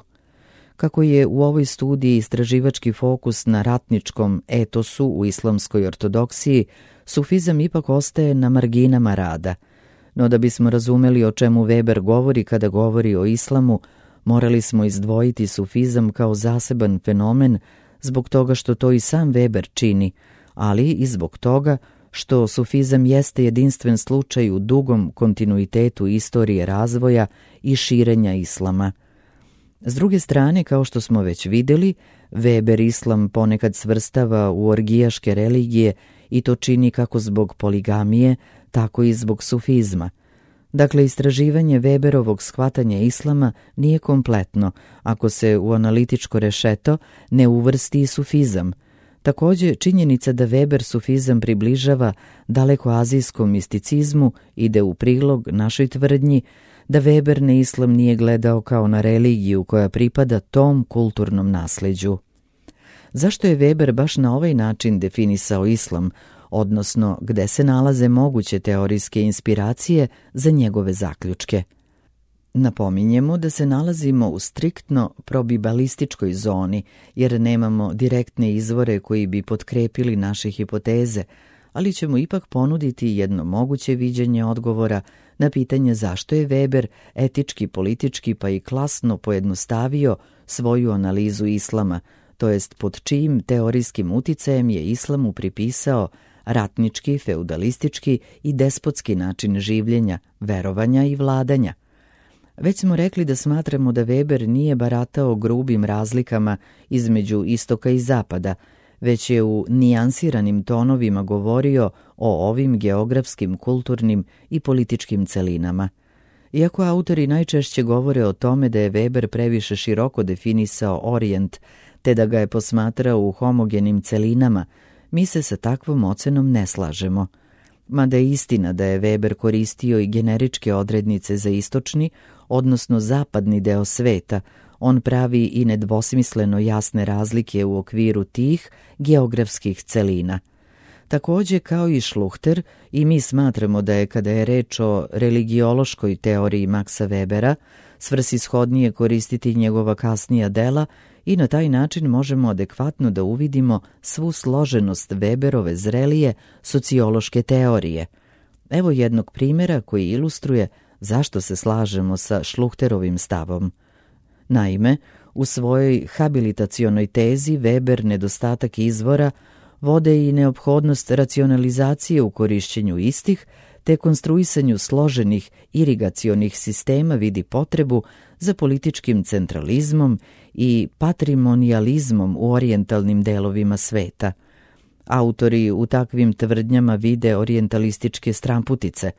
Kako je u ovoj studiji istraživački fokus na ratničkom etosu u islamskoj ortodoksiji, sufizam ipak ostaje na marginama rada. No da bismo razumeli o čemu Weber govori kada govori o islamu, morali smo izdvojiti sufizam kao zaseban fenomen zbog toga što to i sam Weber čini, ali i zbog toga što sufizam jeste jedinstven slučaj u dugom kontinuitetu istorije razvoja i širenja islama. S druge strane, kao što smo već vidjeli, Weber islam ponekad svrstava u orgijaške religije i to čini kako zbog poligamije, tako i zbog sufizma. Dakle, istraživanje Weberovog shvatanja islama nije kompletno ako se u analitičko rešeto ne uvrsti i sufizam. Također, činjenica da Weber sufizam približava dalekoazijskom misticizmu ide u prilog našoj tvrdnji da Weber na islam nije gledao kao na religiju koja pripada tom kulturnom nasleđu. Zašto je Weber baš na ovaj način definisao islam, odnosno gde se nalaze moguće teorijske inspiracije za njegove zaključke? Napominjemo da se nalazimo u striktno probibalističkoj zoni, jer nemamo direktne izvore koji bi potkrepili naše hipoteze, ali ćemo ipak ponuditi jedno moguće viđenje odgovora na pitanje zašto je Weber etički, politički pa i klasno pojednostavio svoju analizu islama, to jest pod čijim teorijskim uticajem je islamu pripisao ratnički, feudalistički i despotski način življenja, verovanja i vladanja. Već smo rekli da smatramo da Weber nije baratao grubim razlikama između istoka i zapada, već je u nijansiranim tonovima govorio o ovim geografskim, kulturnim i političkim celinama. Iako autori najčešće govore o tome da je Weber previše široko definisao Orijent, te da ga je posmatrao u homogenim celinama, mi se sa takvom ocenom ne slažemo. Mada je istina da je Weber koristio i generičke odrednice za istočni, odnosno zapadni deo sveta, on pravi i nedvosmisleno jasne razlike u okviru tih geografskih celina. Takođe, kao i Schluchter, i mi smatramo da je, kada je reč o religiološkoj teoriji Maxa Webera, svrsishodnije koristiti njegova kasnija dela i na taj način možemo adekvatno da uvidimo svu složenost Weberove zrelije sociološke teorije. Evo jednog primjera koji ilustruje zašto se slažemo sa Schluchterovim stavom. Naime, u svojoj habilitacionoj tezi Weber nedostatak izvora vode i neophodnost racionalizacije u korišćenju istih, te konstruisanju složenih irigacionih sistema vidi potrebu za političkim centralizmom i patrimonializmom u orijentalnim delovima sveta. Autori u takvim tvrdnjama vide orijentalističke stramputice.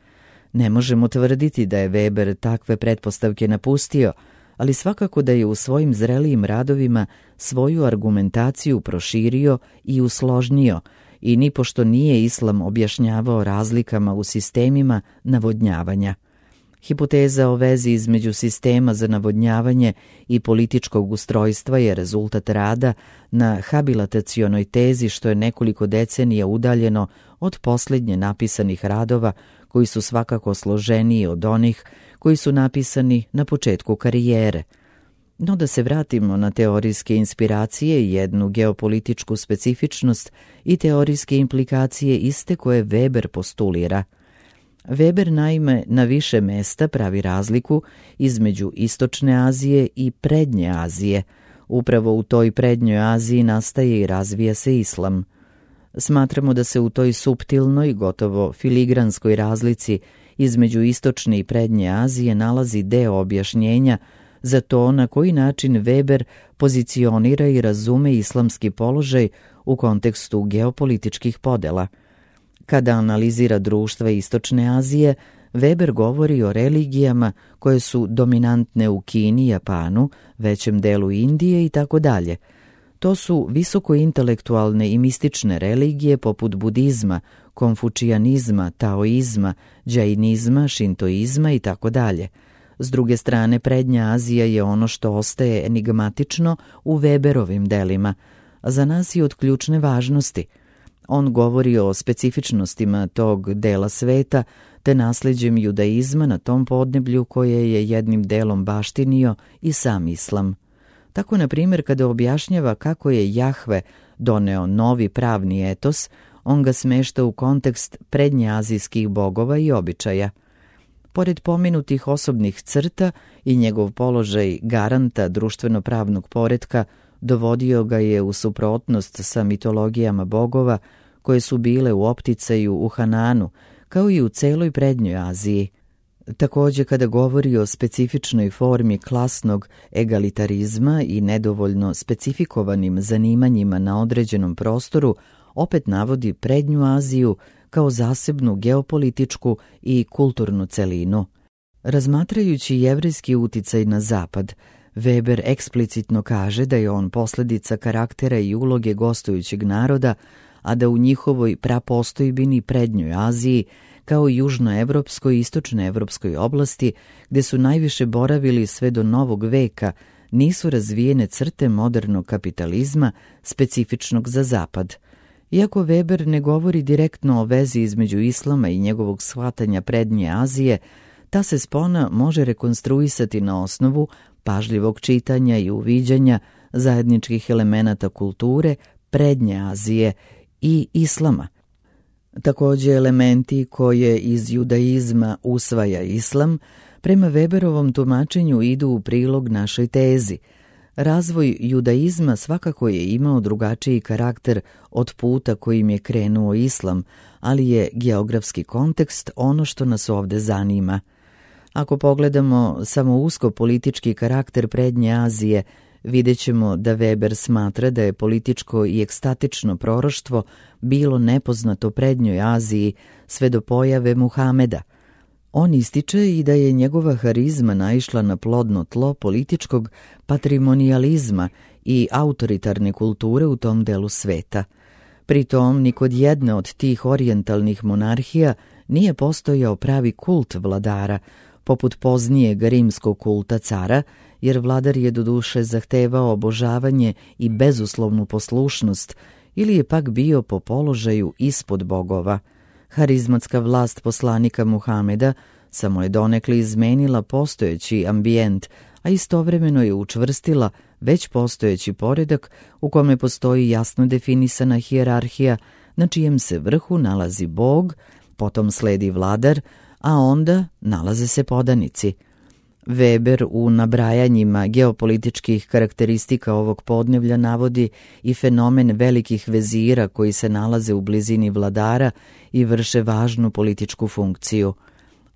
Ne možemo tvrditi da je Weber takve pretpostavke napustio, ali svakako da je u svojim zrelijim radovima svoju argumentaciju proširio i usložnio i nipošto nije islam objašnjavao razlikama u sistemima navodnjavanja. Hipoteza o vezi između sistema za navodnjavanje i političkog ustrojstva je rezultat rada na habilitacionoj tezi, što je nekoliko decenija udaljeno od posljednje napisanih radova koji su svakako složeniji od onih koji su napisani na početku karijere. No da se vratimo na teorijske inspiracije i jednu geopolitičku specifičnost i teorijske implikacije iste koje Weber postulira. Weber naime na više mesta pravi razliku između Istočne Azije i Prednje Azije. Upravo u toj Prednjoj Aziji nastaje i razvija se islam. Smatramo da se u toj suptilnoj, gotovo filigranskoj razlici između Istočne i Prednje Azije nalazi deo objašnjenja za to na koji način Weber pozicionira i razume islamski položaj u kontekstu geopolitičkih podela. Kada analizira društva Istočne Azije, Weber govori o religijama koje su dominantne u Kini, Japanu, većem delu Indije i tako dalje. To su visokointelektualne i mistične religije poput budizma, konfučijanizma, taoizma, džainizma, šintoizma i tako dalje. S druge strane, Prednja Azija je ono što ostaje enigmatično u Weberovim delima, a za nas je od ključne važnosti. On govori o specifičnostima tog dela sveta te nasljeđem judaizma na tom podneblju koje je jednim delom baštinio i sam islam. Tako, na primjer, kada objašnjava kako je Jahve doneo novi pravni etos, on ga smešta u kontekst prednjeazijskih bogova i običaja. Pored pomenutih osobnih crta i njegov položaj garanta društveno-pravnog poretka dovodio ga je u suprotnost sa mitologijama bogova koje su bile u opticaju u Hananu, kao i u celoj Prednjoj Aziji. Također, kada govori o specifičnoj formi klasnog egalitarizma i nedovoljno specifikovanim zanimanjima na određenom prostoru, opet navodi Prednju Aziju kao zasebnu geopolitičku i kulturnu celinu. Razmatrajući jevrejski uticaj na zapad, Weber eksplicitno kaže da je on posljedica karaktera i uloge gostujućeg naroda, a da u njihovoj prapostojbini Prednjoj Aziji, kao i južnoevropskoj i istočnoevropskoj oblasti, gde su najviše boravili sve do Novog veka, nisu razvijene crte modernog kapitalizma specifičnog za zapad. Iako Weber ne govori direktno o vezi između islama i njegovog shvatanja Prednje Azije, ta se spona može rekonstruisati na osnovu pažljivog čitanja i uviđanja zajedničkih elemenata kulture Prednje Azije i islama. Također, elementi koje iz judaizma usvaja islam, prema Weberovom tumačenju idu u prilog našoj tezi. Razvoj judaizma svakako je imao drugačiji karakter od puta kojim je krenuo islam, ali je geografski kontekst ono što nas ovdje zanima. Ako pogledamo samo usko politički karakter prednje Azije, vidjet ćemo da Weber smatra da je političko i ekstatično proroštvo bilo nepoznato prednjoj Aziji sve do pojave Muhameda. On ističe i da je njegova harizma naišla na plodno tlo političkog patrimonijalizma i autoritarne kulture u tom delu sveta. Pritom, ni kod jedne od tih orijentalnih monarhija nije postojao pravi kult vladara, poput poznijeg rimskog kulta cara, jer vladar je doduše zahtevao obožavanje i bezuslovnu poslušnost, ili je pak bio po položaju ispod bogova. Harizmatska vlast poslanika Muhameda samo je donekle izmenila postojeći ambijent, a istovremeno je učvrstila već postojeći poredak u kome postoji jasno definisana hijerarhija na čijem se vrhu nalazi bog, potom sledi vladar, a onda nalaze se podanici. Weber u nabrajanjima geopolitičkih karakteristika ovog podneblja navodi i fenomen velikih vezira koji se nalaze u blizini vladara i vrše važnu političku funkciju.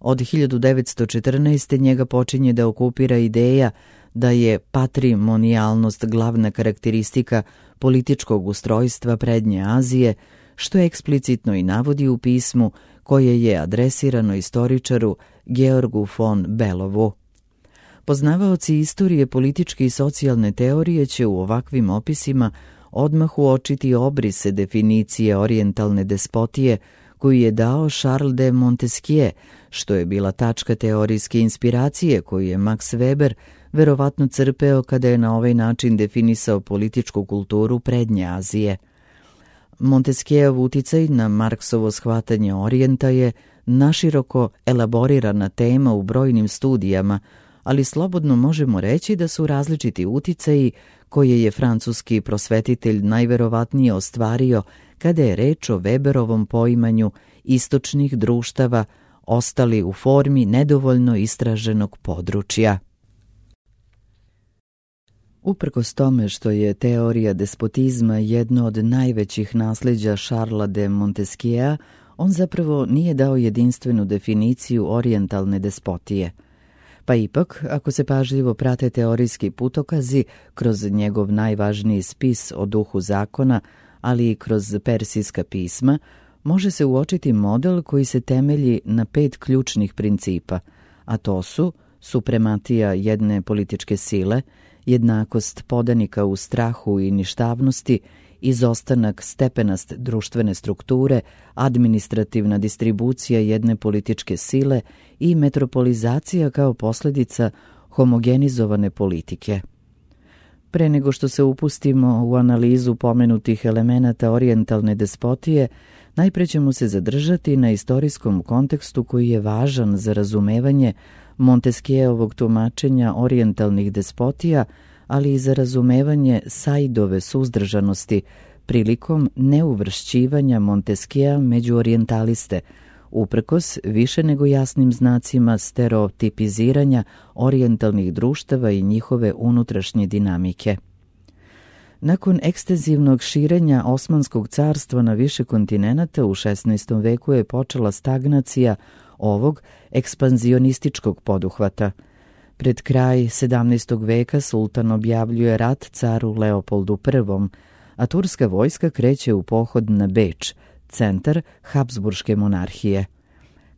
Od 1914. njega počinje da okupira ideja da je patrimonijalnost glavna karakteristika političkog ustrojstva prednje Azije, što eksplicitno i navodi u pismu koje je adresirano istoričaru Georgu von Belovu. Poznavaoci istorije političke i socijalne teorije će u ovakvim opisima odmah uočiti obrise definicije orijentalne despotije koju je dao Charles de Montesquieu, što je bila tačka teorijske inspiracije koju je Max Weber verovatno crpeo kada je na ovaj način definisao političku kulturu prednje Azije. Montesquieuov uticaj na Marksovo shvatanje orijenta je naširoko elaborirana tema u brojnim studijama, ali slobodno možemo reći da su različiti uticaji koje je francuski prosvetitelj najverovatnije ostvario kada je reč o Weberovom poimanju istočnih društava ostali u formi nedovoljno istraženog područja. Uprkos tome što je teorija despotizma jedno od najvećih nasljeđa Charlesa de Montesquieu, on zapravo nije dao jedinstvenu definiciju orijentalne despotije. Pa ipak, ako se pažljivo prate teorijski putokazi kroz njegov najvažniji spis o duhu zakona, ali i kroz persijska pisma, može se uočiti model koji se temelji na 5 ključnih principa, a to su suprematija jedne političke sile, jednakost podanika u strahu i ništavnosti, izostanak stepenast društvene strukture, administrativna distribucija jedne političke sile i metropolizacija kao posljedica homogenizovane politike. Pre nego što se upustimo u analizu pomenutih elemenata orijentalne despotije, najpre ćemo se zadržati na istorijskom kontekstu koji je važan za razumevanje Montesquieuovog tumačenja orijentalnih despotija, ali i za razumevanje Saidove suzdržanosti prilikom neuvršćivanja Montesquiea među orijentaliste, uprkos više nego jasnim znacima stereotipiziranja orijentalnih društava i njihove unutrašnje dinamike. Nakon ekstenzivnog širenja Osmanskog carstva na više kontinenata u 16. veku je počela stagnacija ovog ekspanzionističkog poduhvata. Pred kraj 17. veka sultan objavljuje rat caru Leopoldu I, a turska vojska kreće u pohod na Beč, centar Habsburške monarhije.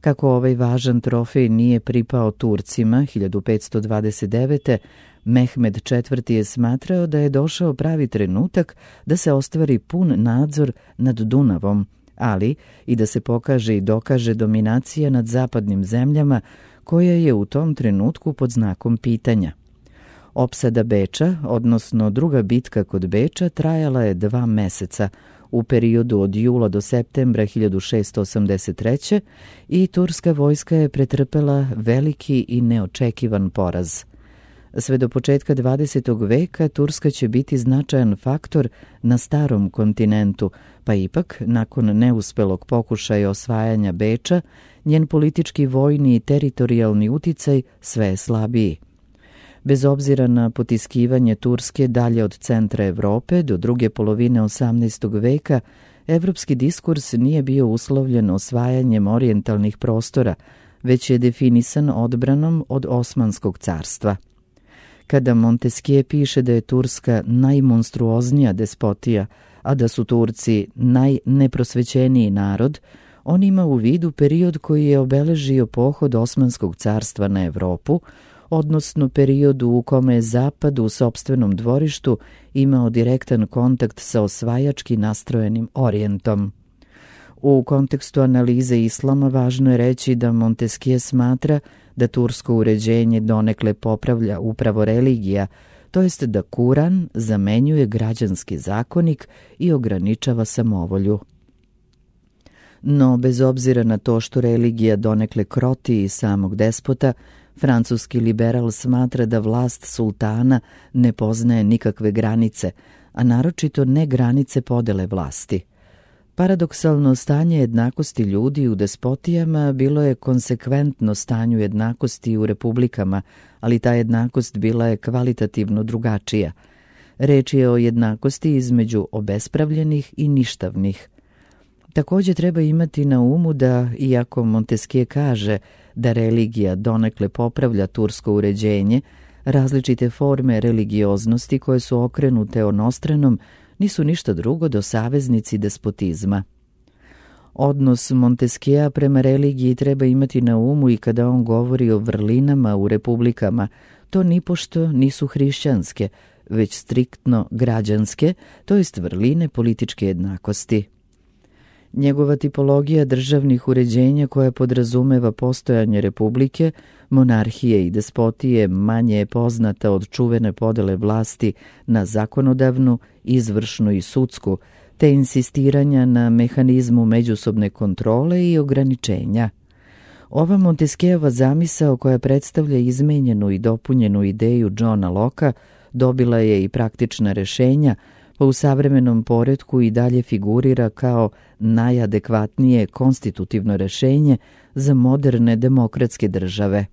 Kako ovaj važan trofej nije pripao Turcima 1529. Mehmed IV. Je smatrao da je došao pravi trenutak da se ostvari pun nadzor nad Dunavom, ali i da se pokaže i dokaže dominacija nad zapadnim zemljama koja je u tom trenutku pod znakom pitanja. Opsada Beča, odnosno druga bitka kod Beča, trajala je 2 meseca, u periodu od jula do septembra 1683. i turska vojska je pretrpela veliki i neočekivan poraz. Sve do početka 20. veka Turska će biti značajan faktor na starom kontinentu, pa ipak, nakon neuspelog pokušaja osvajanja Beča, njen politički, vojni i teritorijalni uticaj sve je slabiji. Bez obzira na potiskivanje Turske dalje od centra Evrope do druge polovine 18. veka, evropski diskurs nije bio uslovljen osvajanjem orijentalnih prostora, već je definisan odbranom od Osmanskog carstva. Kada Montesquieu piše da je Turska najmonstruoznija despotija, a da su Turci najneprosvećeniji narod, on ima u vidu period koji je obeležio pohod Osmanskog carstva na Evropu, odnosno periodu u kome je Zapad u sopstvenom dvorištu imao direktan kontakt sa osvajački nastrojenim Orijentom. U kontekstu analize islama važno je reći da Montesquieu smatra da tursko uređenje donekle popravlja upravo religija, to jest da Kuran zamenjuje građanski zakonik i ograničava samovolju. No, bez obzira na to što religija donekle kroti i samog despota, francuski liberal smatra da vlast sultana ne poznaje nikakve granice, a naročito ne granice podele vlasti. Paradoksalno stanje jednakosti ljudi u despotijama bilo je konsekventno stanju jednakosti u republikama, ali ta jednakost bila je kvalitativno drugačija. Reč je o jednakosti između obespravljenih i ništavnih. Također treba imati na umu da, iako Montesquieu kaže da religija donekle popravlja tursko uređenje, različite forme religioznosti koje su okrenute onostranom nisu ništa drugo do saveznici despotizma. Odnos Montesquieu prema religiji treba imati na umu i kada on govori o vrlinama u republikama. To nipošto nisu hrišćanske, već striktno građanske, to jest vrline političke jednakosti. Njegova tipologija državnih uređenja koja podrazumeva postojanje republike, monarhije i despotije manje je poznata od čuvene podele vlasti na zakonodavnu, izvršnu i sudsku, te insistiranja na mehanizmu međusobne kontrole i ograničenja. Ova Montesquieuova zamisao koja predstavlja izmenjenu i dopunjenu ideju Johna Locke dobila je i praktična rešenja, pa u savremenom poretku i dalje figurira kao najadekvatnije konstitutivno rešenje za moderne demokratske države.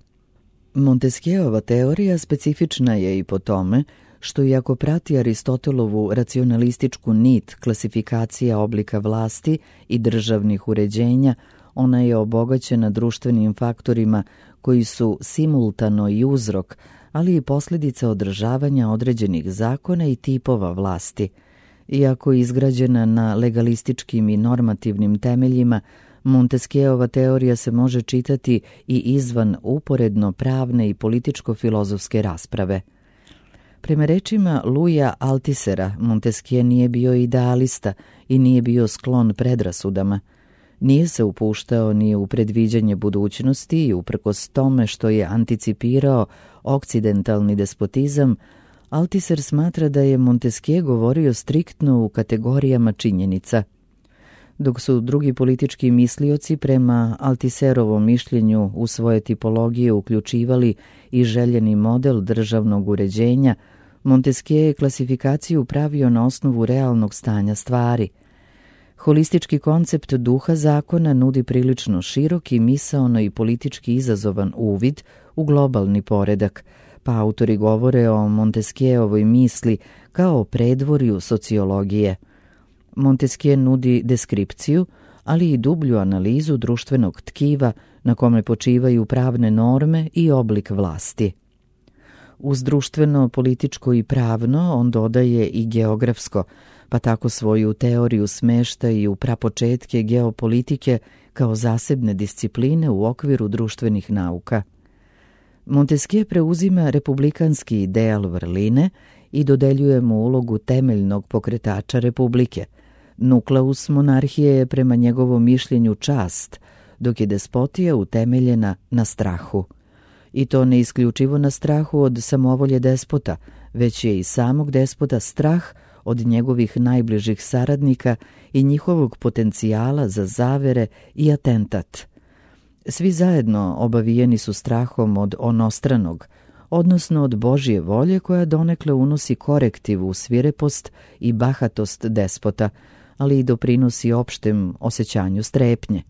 Montesquieuova teorija specifična je i po tome što iako prati Aristotelovu racionalističku nit klasifikacija oblika vlasti i državnih uređenja, ona je obogaćena društvenim faktorima koji su simultano i uzrok, ali i posljedica održavanja određenih zakona i tipova vlasti. Iako je izgrađena na legalističkim i normativnim temeljima, Montesquieuova teorija se može čitati i izvan uporedno pravne i političko-filozofske rasprave. Prema rečima Louisa Althusera, Montesquieu nije bio idealista i nije bio sklon predrasudama. Nije se upuštao ni u predviđanje budućnosti i uprkos tome što je anticipirao okcidentalni despotizam, Althuser smatra da je Montesquieu govorio striktno u kategorijama činjenica. Dok su drugi politički mislioci prema Althuserovom mišljenju u svoje tipologije uključivali i željeni model državnog uređenja, Montesquieu je klasifikaciju pravio na osnovu realnog stanja stvari. Holistički koncept duha zakona nudi prilično širok i misaono i politički izazovan uvid u globalni poredak, pa autori govore o Montesquieuovoj misli kao o predvorju sociologije. Montesquieu nudi deskripciju, ali i dublju analizu društvenog tkiva na kome počivaju pravne norme i oblik vlasti. Uz društveno, političko i pravno on dodaje i geografsko, pa tako svoju teoriju smešta i u prapočetke geopolitike kao zasebne discipline u okviru društvenih nauka. Montesquieu preuzima republikanski ideal vrline i dodeljuje mu ulogu temeljnog pokretača republike. Nukleus monarhije je prema njegovom mišljenju čast, dok je despotija utemeljena na strahu. I to ne isključivo na strahu od samovolje despota, već je i samog despota strah od njegovih najbližih saradnika i njihovog potencijala za zavere i atentat. Svi zajedno obavijeni su strahom od onostranog, odnosno od Božje volje koja donekle unosi korektiv u svirepost i bahatost despota, ali i doprinosi opštem osjećanju strepnje.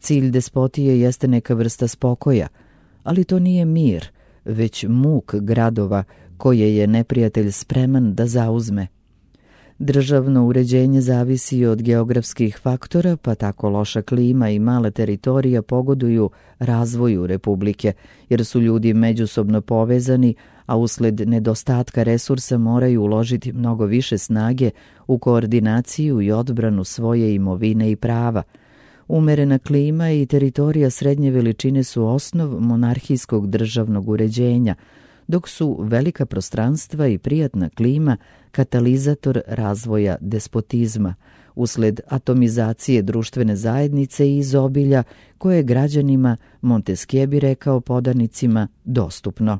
Cilj despotije jeste neka vrsta spokoja, ali to nije mir, već muk gradova koje je neprijatelj spreman da zauzme. Državno uređenje zavisi od geografskih faktora, pa tako loša klima i male teritorija pogoduju razvoju Republike, jer su ljudi međusobno povezani, a usled nedostatka resursa moraju uložiti mnogo više snage u koordinaciju i odbranu svoje imovine i prava. Umerena klima i teritorija srednje veličine su osnov monarhijskog državnog uređenja, dok su velika prostranstva i prijatna klima katalizator razvoja despotizma, usled atomizacije društvene zajednice i izobilja koje je građanima, Montesquieu bi rekao podanicima, dostupno.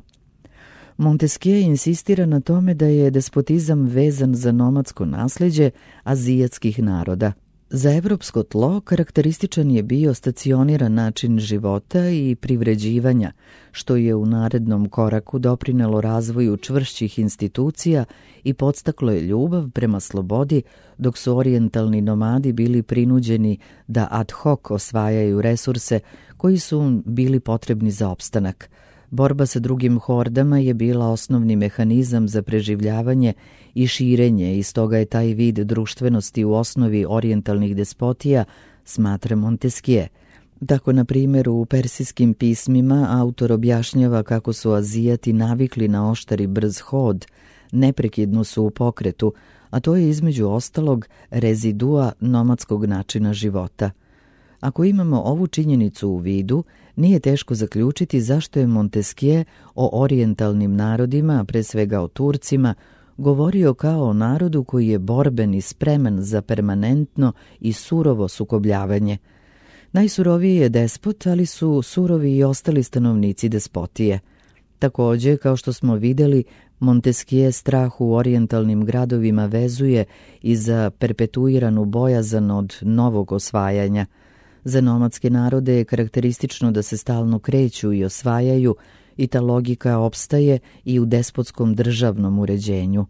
Montesquieu insistira na tome da je despotizam vezan za nomadsko nasleđe azijatskih naroda. Za evropsko tlo karakterističan je bio stacioniran način života i privređivanja, što je u narednom koraku doprinelo razvoju čvršćih institucija i podstaklo je ljubav prema slobodi, dok su orijentalni nomadi bili prinuđeni da ad hoc osvajaju resurse koji su bili potrebni za opstanak. Borba sa drugim hordama je bila osnovni mehanizam za preživljavanje i širenje i stoga je taj vid društvenosti u osnovi orijentalnih despotija, smatra Montesquieu. Tako, na primjer, u persijskim pismima autor objašnjava kako su Azijati navikli na oštar i brz hod, neprekidno su u pokretu, a to je između ostalog rezidua nomadskog načina života. Ako imamo ovu činjenicu u vidu, nije teško zaključiti zašto je Montesquieu o orijentalnim narodima, pre svega o Turcima, govorio kao o narodu koji je borben i spreman za permanentno i surovo sukobljavanje. Najsuroviji je despot, ali su surovi i ostali stanovnici despotije. Također, kao što smo vidjeli, Montesquieu strah u orijentalnim gradovima vezuje i za perpetuiranu bojazan od novog osvajanja. Za nomadske narode je karakteristično da se stalno kreću i osvajaju i ta logika opstaje i u despotskom državnom uređenju.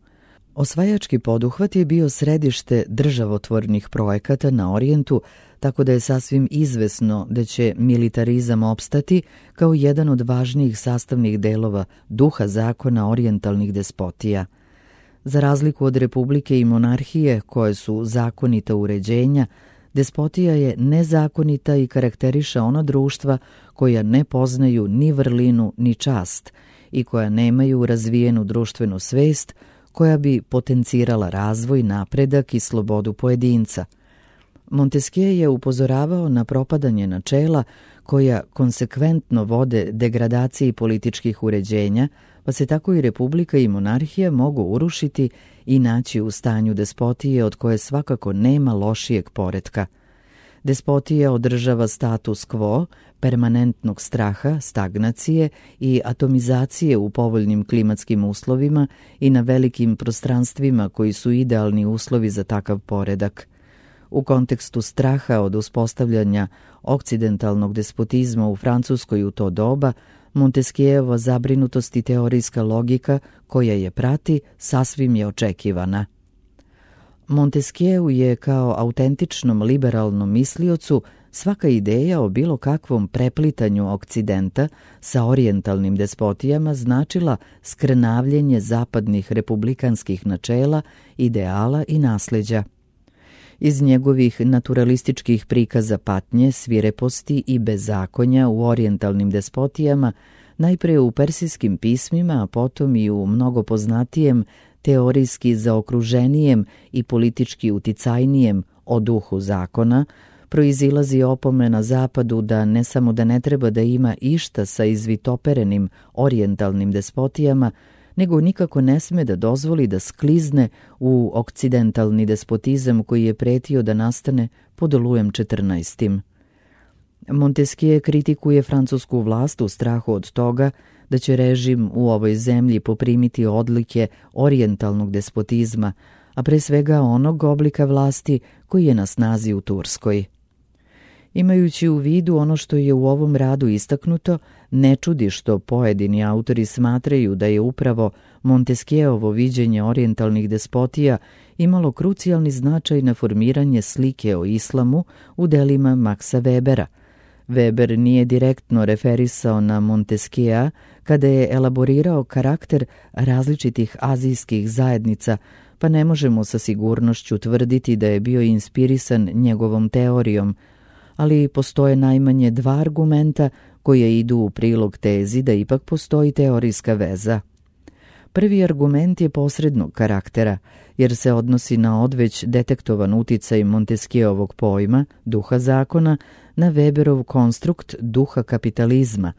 Osvajački poduhvat je bio središte državotvornih projekata na Orijentu, tako da je sasvim izvesno da će militarizam opstati kao jedan od važnijih sastavnih delova duha zakona orijentalnih despotija. Za razliku od republike i monarhije, koje su zakonita uređenja, despotija je nezakonita i karakteriše ona društva koja ne poznaju ni vrlinu ni čast i koja nemaju razvijenu društvenu svest koja bi potencirala razvoj, napredak i slobodu pojedinca. Montesquieu je upozoravao na propadanje načela koja konsekventno vode degradaciji političkih uređenja, pa se tako i republika i monarhija mogu urušiti i naći u stanju despotije od koje svakako nema lošijeg poretka. Despotija održava status quo, permanentnog straha, stagnacije i atomizacije u povoljnim klimatskim uslovima i na velikim prostranstvima koji su idealni uslovi za takav poredak. U kontekstu straha od uspostavljanja okcidentalnog despotizma u Francuskoj u to doba, Montesquieuova zabrinutost i teorijska logika koja je prati sasvim je očekivana. Montesquieu je kao autentičnom liberalnom misliocu svaka ideja o bilo kakvom preplitanju Okcidenta sa orijentalnim despotijama značila skrnavljenje zapadnih republikanskih načela, ideala i nasleđa. Iz njegovih naturalističkih prikaza patnje, svireposti i bezakonja u orijentalnim despotijama, najprije u persijskim pismima, a potom i u mnogo poznatijem, teorijski zaokruženijem i politički uticajnijem o duhu zakona, proizilazi opomena Zapadu da ne samo da ne treba da ima išta sa izvitoperenim orijentalnim despotijama, nego nikako ne sme da dozvoli da sklizne u okcidentalni despotizam koji je pretio da nastane pod Lujem XIV. Montesquieu kritikuje francusku vlast u strahu od toga da će režim u ovoj zemlji poprimiti odlike orijentalnog despotizma, a pre svega onog oblika vlasti koji je na snazi u Turskoj. Imajući u vidu ono što je u ovom radu istaknuto, ne čudi što pojedini autori smatraju da je upravo Montesquieuovo viđenje orijentalnih despotija imalo krucijalni značaj na formiranje slike o islamu u delima Maxa Webera. Weber nije direktno referisao na Montesquieu kada je elaborirao karakter različitih azijskih zajednica, pa ne možemo sa sigurnošću tvrditi da je bio inspirisan njegovom teorijom, ali postoje najmanje dva argumenta koje idu u prilog tezi da ipak postoji teorijska veza. Prvi argument je posrednog karaktera, jer se odnosi na odveć detektovan uticaj Montesquieuovog pojma, duha zakona, na Weberov konstrukt duha kapitalizma,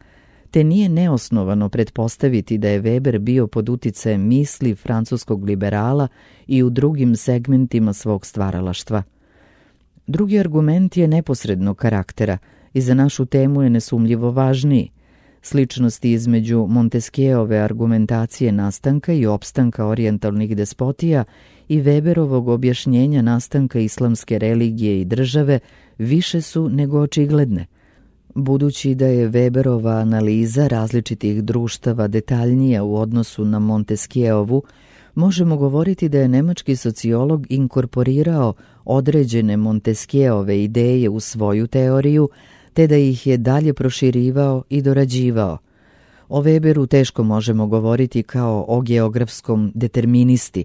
te nije neosnovano pretpostaviti da je Weber bio pod uticajem misli francuskog liberala i u drugim segmentima svog stvaralaštva. Drugi argument je neposrednog karaktera i za našu temu je nesumljivo važniji. Sličnosti između Montesquieuove argumentacije nastanka i opstanka orijentalnih despotija i Weberovog objašnjenja nastanka islamske religije i države više su nego očigledne. Budući da je Weberova analiza različitih društava detaljnija u odnosu na Montesquieuovu, možemo govoriti da je nemački sociolog inkorporirao određene Montesquieuove ideje u svoju teoriju, te da ih je dalje proširivao i dorađivao. O Weberu teško možemo govoriti kao o geografskom deterministi.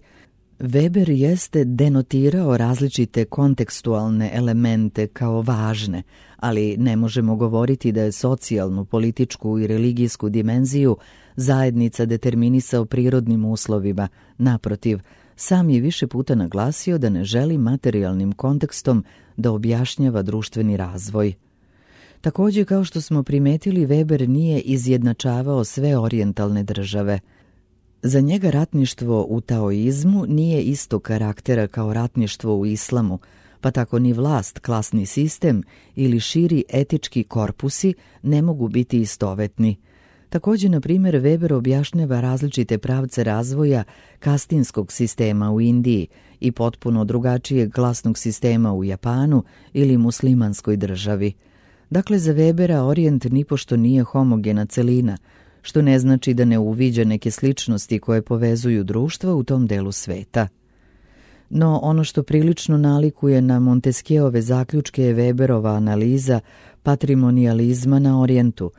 Weber jeste denotirao različite kontekstualne elemente kao važne, ali ne možemo govoriti da je socijalnu, političku i religijsku dimenziju zajednica determinisao prirodnim uslovima. Naprotiv, sam je više puta naglasio da ne želi materijalnim kontekstom da objašnjava društveni razvoj. Također, kao što smo primetili, Weber nije izjednačavao sve orijentalne države. Za njega ratništvo u taoizmu nije istog karaktera kao ratništvo u islamu, pa tako ni vlast, klasni sistem ili širi etički korpusi ne mogu biti istovetni. Također, na primjer, Weber objašnjava različite pravce razvoja kastinskog sistema u Indiji i potpuno drugačijeg klasnog sistema u Japanu ili muslimanskoj državi. Dakle, za Webera Orijent nipošto nije homogena celina, što ne znači da ne uviđa neke sličnosti koje povezuju društva u tom delu sveta. No, ono što prilično nalikuje na Montesquieuove zaključke je Weberova analiza patrimonializma na Orijentu.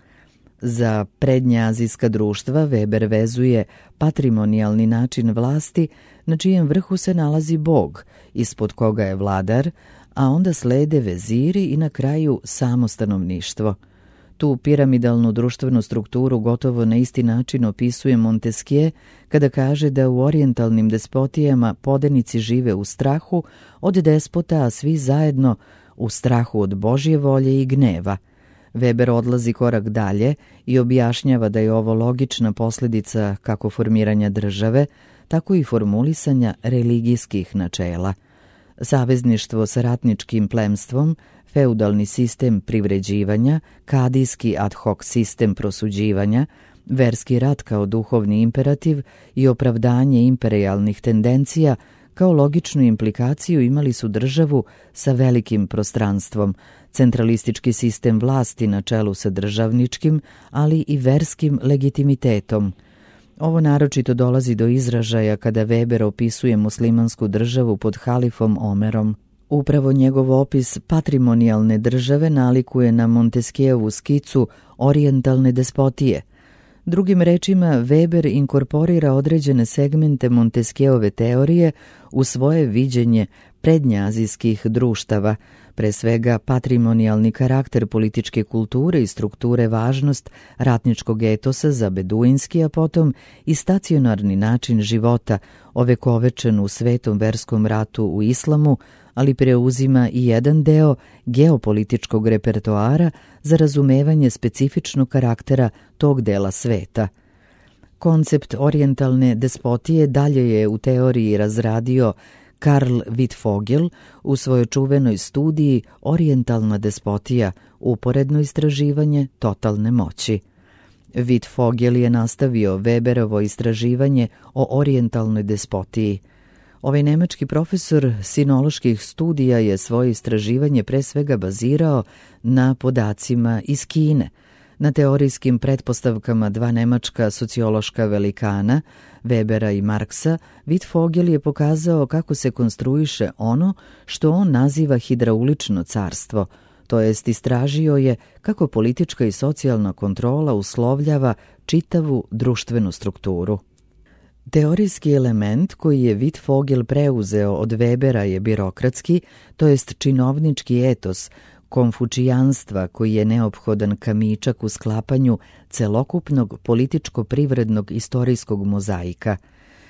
Za prednja azijska društva Weber vezuje patrimonijalni način vlasti na čijem vrhu se nalazi Bog, ispod koga je vladar, a onda slede veziri i na kraju samo stanovništvo. Tu piramidalnu društvenu strukturu gotovo na isti način opisuje Montesquieu kada kaže da u orijentalnim despotijama podanici žive u strahu od despota, a svi zajedno u strahu od Božje volje i gneva. Weber odlazi korak dalje i objašnjava da je ovo logična posljedica kako formiranja države, tako i formulisanja religijskih načela. Savezništvo sa ratničkim plemstvom, feudalni sistem privređivanja, kadijski ad hoc sistem prosuđivanja, verski rat kao duhovni imperativ i opravdanje imperijalnih tendencija kao logičnu implikaciju imali su državu sa velikim prostranstvom, centralistički sistem vlasti na čelu sa državničkim, ali i verskim legitimitetom. Ovo naročito dolazi do izražaja kada Weber opisuje muslimansku državu pod halifom Omerom. Upravo njegov opis patrimonijalne države nalikuje na Montesquieuovu skicu orijentalne despotije. Drugim rečima, Weber inkorporira određene segmente Montesquieuove teorije u svoje viđenje prednjazijskih društava, pre svega patrimonijalni karakter političke kulture i strukture važnost ratničkog etosa za beduinski, a potom i stacionarni način života, ovekovečen u svetom verskom ratu u islamu, ali preuzima i jedan deo geopolitičkog repertoara za razumevanje specifičnog karaktera tog dela sveta. Koncept orijentalne despotije dalje je u teoriji razradio Karl Wittfogel u svojoj čuvenoj studiji Orijentalna despotija, uporedno istraživanje totalne moći. Wittfogel je nastavio Weberovo istraživanje o orijentalnoj despotiji. Ovaj nemački profesor sinoloških studija je svoje istraživanje pre svega bazirao na podacima iz Kine, na teorijskim pretpostavkama dva nemačka sociološka velikana, Webera i Marksa. Wittfogel je pokazao kako se konstruiše ono što on naziva hidraulično carstvo, to jest istražio je kako politička i socijalna kontrola uslovljava čitavu društvenu strukturu. Teorijski element koji je Wittfogel preuzeo od Webera je birokratski, to jest činovnički etos, konfučijanstva koji je neophodan kamičak u sklapanju celokupnog političko-privrednog istorijskog mozaika.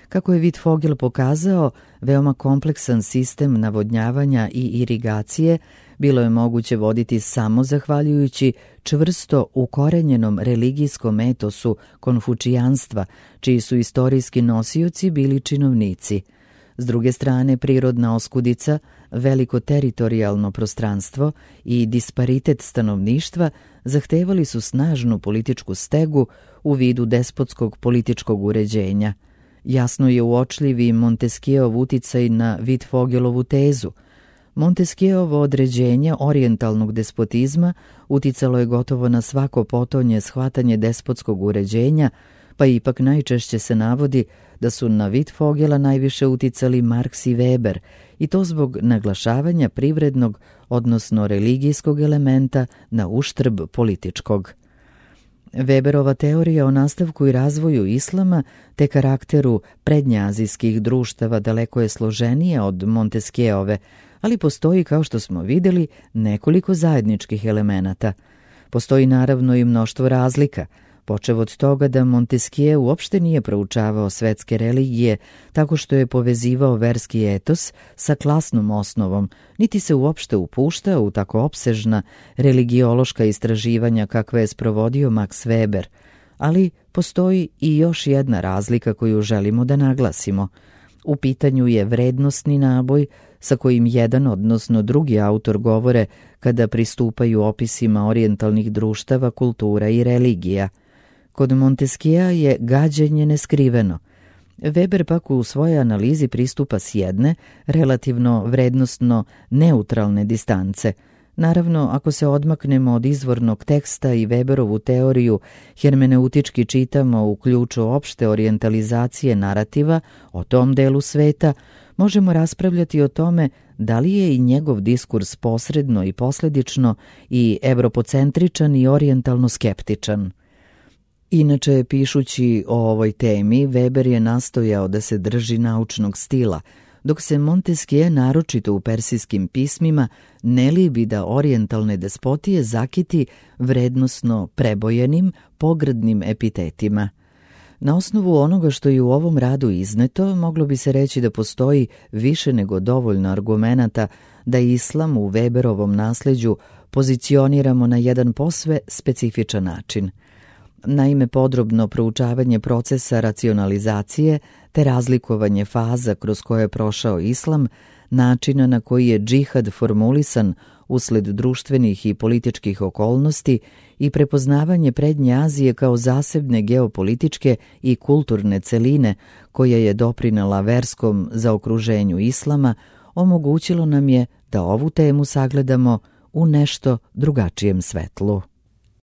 Kako je Wittfogel pokazao, veoma kompleksan sistem navodnjavanja i irigacije bilo je moguće voditi samo zahvaljujući čvrsto ukorenjenom religijskom etosu konfučijanstva, čiji su istorijski nosioci bili činovnici. S druge strane, prirodna oskudica, veliko teritorijalno prostranstvo i disparitet stanovništva zahtevali su snažnu političku stegu u vidu despotskog političkog uređenja. Jasno je uočljiv i Montesquieuov uticaj na Wittfogelovu tezu. Montesquieuovo određenje orijentalnog despotizma uticalo je gotovo na svako potonje shvatanje despotskog uređenja, pa ipak najčešće se navodi da su na Wittfogela najviše uticali Marks i Weber, i to zbog naglašavanja privrednog, odnosno religijskog elementa na uštrb političkog. Weberova teorija o nastavku i razvoju islama te karakteru prednjeazijskih društava daleko je složenija od Montesquieuove, ali postoji, kao što smo vidjeli, nekoliko zajedničkih elemenata. Postoji naravno i mnoštvo razlika, počev od toga da Montesquieu uopšte nije proučavao svetske religije tako što je povezivao verski etos sa klasnom osnovom, niti se uopšte upuštao u tako opsežna religiološka istraživanja kakve je sprovodio Max Weber, ali postoji i još jedna razlika koju želimo da naglasimo. U pitanju je vrednosni naboj sa kojim jedan, odnosno drugi autor govore kada pristupaju opisima orijentalnih društava, kultura i religija. Kod Montesquiea je gađenje neskriveno. Weber pak u svojoj analizi pristupa s jedne, relativno vrednostno neutralne distance. Naravno, ako se odmaknemo od izvornog teksta i Weberovu teoriju hermeneutički čitamo u ključu opšte orijentalizacije narativa o tom delu sveta, možemo raspravljati o tome da li je i njegov diskurs posredno i posledično i evropocentričan i orijentalno skeptičan. Inače, pišući o ovoj temi, Weber je nastojao da se drži naučnog stila, dok se Montesquieu naročito u persijskim pismima ne libi da orijentalne despotije zakiti vrednosno prebojenim, pogrdnim epitetima. Na osnovu onoga što je u ovom radu izneto, moglo bi se reći da postoji više nego dovoljno argumenata da islam u Weberovom nasleđu pozicioniramo na jedan posve specifičan način. Naime, podrobno proučavanje procesa racionalizacije te razlikovanje faza kroz koje je prošao islam, načina na koji je džihad formulisan usled društvenih i političkih okolnosti i prepoznavanje Prednje Azije kao zasebne geopolitičke i kulturne celine koja je doprinela verskom zaokruženju islama, omogućilo nam je da ovu temu sagledamo u nešto drugačijem svetlu.